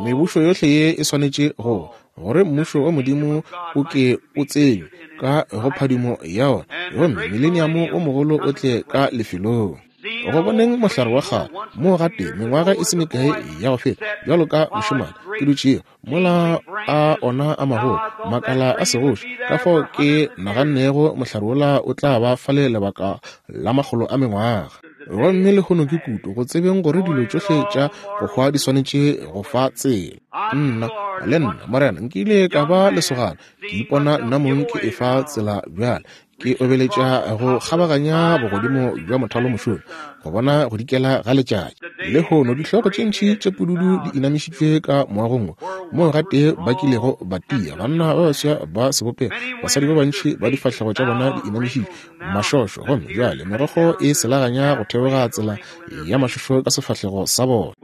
[SPEAKER 1] Mebušo yohle ye e swanetše go gore mmušo wa Modimo o ke o tsenywe ka go phadimo ya ona, gomme mileniamo o mogolo o tle ka lefelong. Go boneng mohlare wa kgale mo gate mengwaga e se mekae ya go feta, bjalo ka mošemane ke dutšego mola a ona a magolo makala a segoši, ka fao ke nagannego mohlare wola o tla ba fale lebaka la makgolo a mengwaga. Gomme lehono ke kutu go tsebeng gore dilo tšohle tša go hwa di swanetše go fa tsela. Nna le nna Morena nkile ka ba lesogana, ke ipona nna mong ke efa tsela bjale, ke obeletša go kgabaganya bogodimo bja mothalo mošomi go bona go dikela ga letšatši. Lehono dihlogo tše ntši tše pududu di inamišitšwe ka moagong wo moo gatee ba kilego ba tia, banna ba baswa ba sebopego, basadi ba bantši ba difahlego tša bona di inamišitšwe mašošo, gomme bjale merogo e selaganya go theoga tsela ya mašošo ka sefahlego sa bona.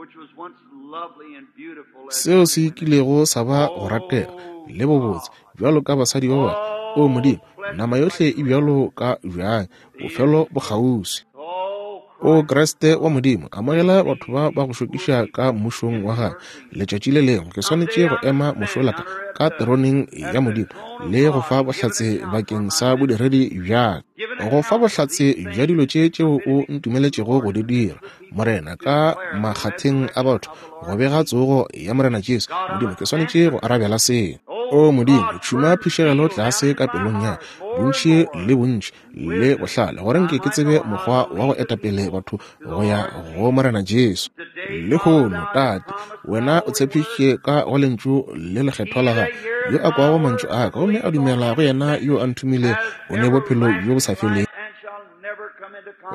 [SPEAKER 1] Seo se kilego sa ba go ratega le bobotse bjalo ka basadi ba bangwe. O Modimo, nama yohle e bjalo ka bjang, bofelo bo kgauswi. O Kriste wa Modimo, amogela batho ba ba go šokiša ka mmušong wa gagwe. Letšatši le lengwe ke swanetše go ema mošola ka ka teroneng ya Modimo le go fa bohlatse bakeng sa bodiredi bja ka, go fa bohlatse bja dilo tše tšeo o ntumeletšego go di dira, Morena, ka makgatheng a batho, go bega tsogo ya Morena Jesu. Modimo, ke swanetše go arabela seo. O Modimo, tšhuma phišegelo tlase ka pelong ya bontši le bontši le bohlale, gore nke ke tsebe mokgwa wa go etapele batho go ya go Morena Jesu. Lehono, Tate, wena o tshepišitše ka go lentšu le lekgethwa la gago, yo a kwago mantšu a ka gomme a dumela go yena yo a nthomilego, o ne bophelo bjo bo sa felego,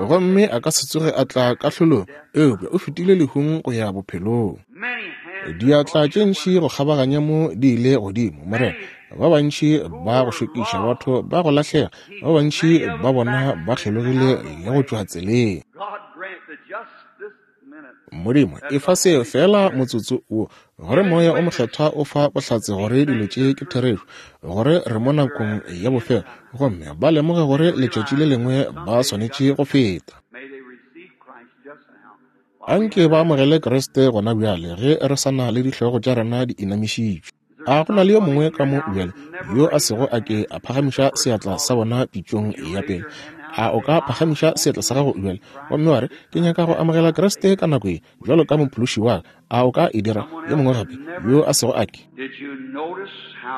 [SPEAKER 1] gomme a ka se tsoge a tla kahlolong, eupša o fetile lehung go ya bophelong. Diatla tše ntši go kgabaganya mo di ile godimo, Morena. Ba bantši ba go šokiša, batho ba go lahlega, ba bantši ba bona ba kgelogile le go tšwa tseleng. Modimo, efa seo fela motsotso wo, gore moya o mokgethwa o fa bohlatse gore dilo tše ke therešo, gore re mo nakong ya bofelo, gomme ba lemoge gore letšatši le lengwe ba swanetše go feta. Anke ba amogele Kriste gona bjale ge re sa na le dihlogo tša rena di inamišitšwe. A go na le yo mongwe ka mo bjale yo a sego a ke a phagamiša seatla sa bona pitšong ya pele? A o ka phagamiša seatla sa gago bjale gomme wa re, ke nyaka go amogela Kriste ka nako ye bjalo ka mophološi wa ka? A o ka e dira? Yo mongwe gape yo a sego a ke?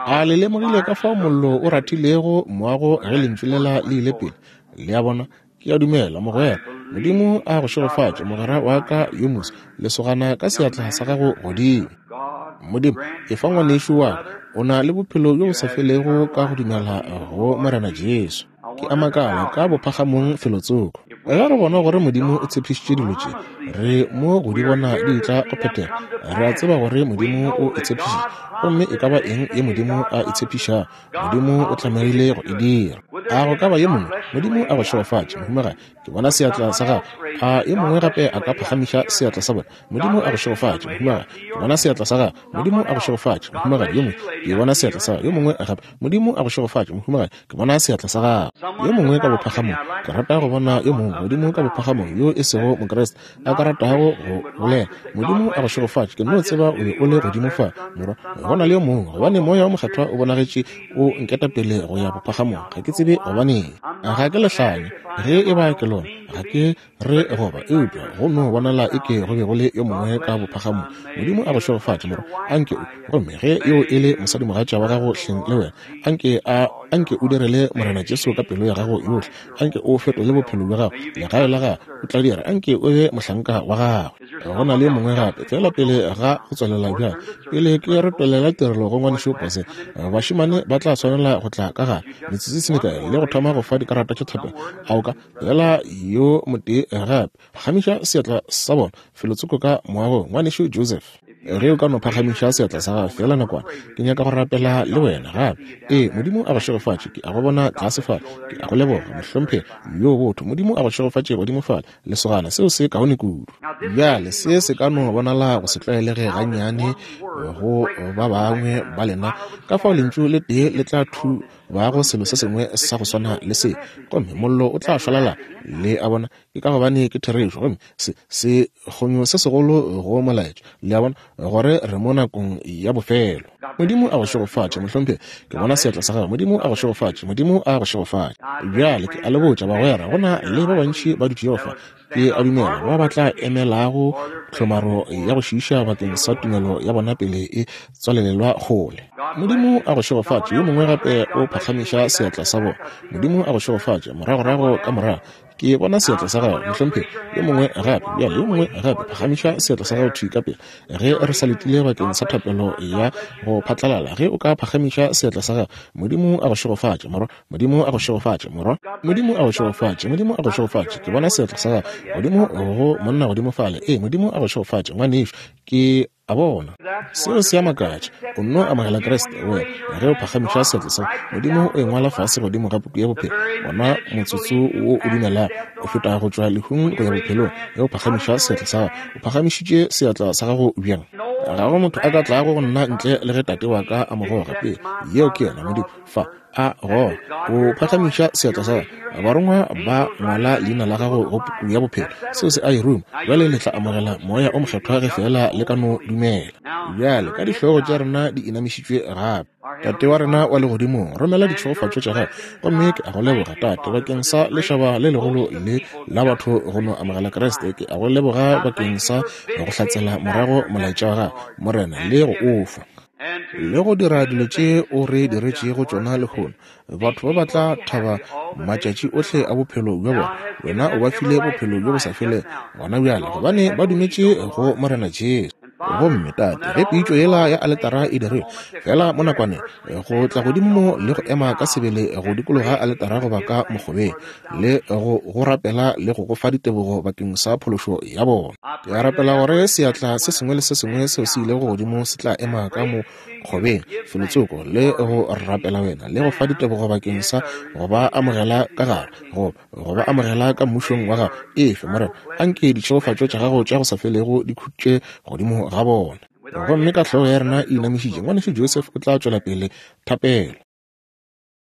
[SPEAKER 1] A le lemogile ka fao mollo o rathilego moago ge lentšu lela le ile pele? Le a bona? Ke a dumela, mogwera. Modimo a go šegofatše, mogwera wa ka yo moswa, lesogana ka seatla sa gago godimo. Modimo, efa ngwanešu wa ka, o na le bophelo bjo bo sa felego ka go dumela go Morena Jesu. Ke a makala ka bophagamong felotsoko. Ge re bona gore Modimo o tshepišitše dilo tše, re mo go di bona di tla go phethega. Re a tseba gore Modimo o e tshepišitše, gomme e ka ba eng ye Modimo a e tshepišago, Modimo o tlamehile go e dira. A go ka ba ye mongwe? Modimo a go šegofatše, mohumagadi. Ke bona seatla sa gago. A yo mongwe gape a ka phagamiša seatla sa bona? Modimo a go šegofatše, mohumagadi. Ke bona seatla sa gago. Modimo a go šegofatše, mohumagadi. Yo mongwe, ke bona seatla sa gago. Yo mongwe gape, Modimo a go šegofatše, mohumagadi. Ke bona seatla sa gago. Yo mongwe ka bophagamong, ke rata go bona yo mongwe godimo ka bophagamong yo e sego Mokriste a ka ratago go bolela. Modimo a go šegofatše. Ke no tseba o be o le godimo fa, morwa. Go na le yo mongwe, gobane moya o mokgethwa o bonagetše o nketapele go ya bophagamong. Ga ke tsebe gobaneng. Ga ke lehlanya ge e ba ke lona, ga ke re goba, eupša go no bonala e ke go be go le yo mongwe ka bophagamong. Modimo a go šegofatše, morwa. Anke o, gomme ge yo e le mosadimogatša wa gago hleng le wena, anke a anke o direle Morena Jesu ka pelo ya gago yohle. Anke o fetole bophelo bja gago, legae la gago, o tla dira. Anke o be mohlanka wa gagwe. Go na le mongwe gape, fela pele ga go tswalela bjale, pele ke retolela tirelo go ngwanešu Pose, bašemane ba tla swanela go tla ka gare metsotso e se mekae le go thoma go fa dikarata tša thapelo. A o ka fela yo motee gape phagamiša seatla sa bona felotsoko ka moagong? Ngwanešu Joseph, ge o ka no phagamiša seatla sa gago fela nakwana, ke nyaka go rapela le wena gape. Ee, Modimo a go šegofatše. Ke a go bona tlase fale. Ke a go leboga, mohlomphegi yo botho. Modimo a go šegofatše godimo fale, lesogana. Seo se kaone kudu. Bjale se se ka no bonala go se tlwaelege gannyane go ba bangwe ba lena, ka fao lentšu le tee le tla thubago selo se sengwe sa go swana le se, gomme mollo o tla šwalala. Le a bona, ke ka gobane ke therešo, gomme se se kgonyo se segolo go molaetša. Le a bona gore re mo nakong ya bofelo. Modimo a go šegofatše, mohlomphegi. Ke bona seatla sa gago. Modimo a go šegofatše. Modimo a go šegofatše. Bjale ke a le botša, bagwera, go na le ba bantši ba dutšego fa, ke a dumela, ba ba tla emelago tlhomaro ya go šiiša bakeng sa tumelo ya bona pele e tswalelelwa kgole. Modimo a go šegofatše. Yo mongwe gape o phagamiša seatla sa bona. Modimo a go šegofatše. Moragorago ka morago ke bona seatla sa gago, mohlomphegi. Yo mongwe gape, bjale yo mongwe gape phagamiša seatla sa gago thwi ka pele ge re sa letile bakeng sa thapelo ya go phatlalala. Ge o ka phagamiša seatla sa gago, Modimo a go šegofatše, morwa. Modimo a go šegofatše, morwa. Modimo a go šegofatše. Modimo a go šegofatše. Ke bona seatla sa gago godimo go monna godimo fale. Ee, Modimo a go šegofatše, ngwanešu. Ke a bona seo se a makatša. O nno amogela Kriste wena ge o phagamiša seatla sa Modimo, o e ngwala fase godimo ga puku ya bophelo. Bona motsotso wo o dumelago o feta go tšwa lehung go ya bophelong. Ge o phagamiša seatla sa gago, o phagamišitše seatla sa gago bjang? Ga go motho a ka tlago go nna ntle le ge Tate wa ka a mo goga pele. Yeo ke yona Modimo fa a goga. O phagamiša seatla sa gago, barongwa ba ngwala leina la gago go puku ya bophelo. Seo se a e ruma. Bjale le tla amogela Moya o Mokgethwa ge fela le ka no dumela. Bjale ka dihlogo tša rena di inamišitšwe gape, Tate wa rena wa legodimong, romela ditšhegofatšo tša gago. Gomme ke a go leboga, Tate, bakeng sa lešaba le legolo le la batho go no amogela Kriste. Ke a go leboga bakeng sa go hlatsela morago molaetša wa gago, Morena, le go o fa le go dira dilo tše o re diretšego tšona lehono. Batho ba ba tla thaba matšatši ohle a bophelo bja bona. Wena o ba file bophelo bjo bo sa felego gona bjale, gobane ba dumetše go Morena Jesu. Gomme Tate, ge pitšo yela ya aletara e dirilwe fela mo nakwaneng, go tla godimo mo le go ema ka sebele go dikologa aletara goba ka mokgobeng, le go go rapela le go go fa ditebogo bakeng sa phološo ya bona. Ke a rapela gore seatla se sengwe le se sengwe seo se ilego godimo se tla ema ka mokgobeng felotsoko le go rapela wena le go fa ditebogo bakeng sa go ba amogela ka gare, go go ba amogela ka mmušong wa gago. Efe, Morena, anke ditšhegofatšo tša gago tša go sa felego di khutše godimo ga bona. Gomme ka hlogo ya rena e inamišitše, ngwanešu Joseph o tla tšwela pele thapelo.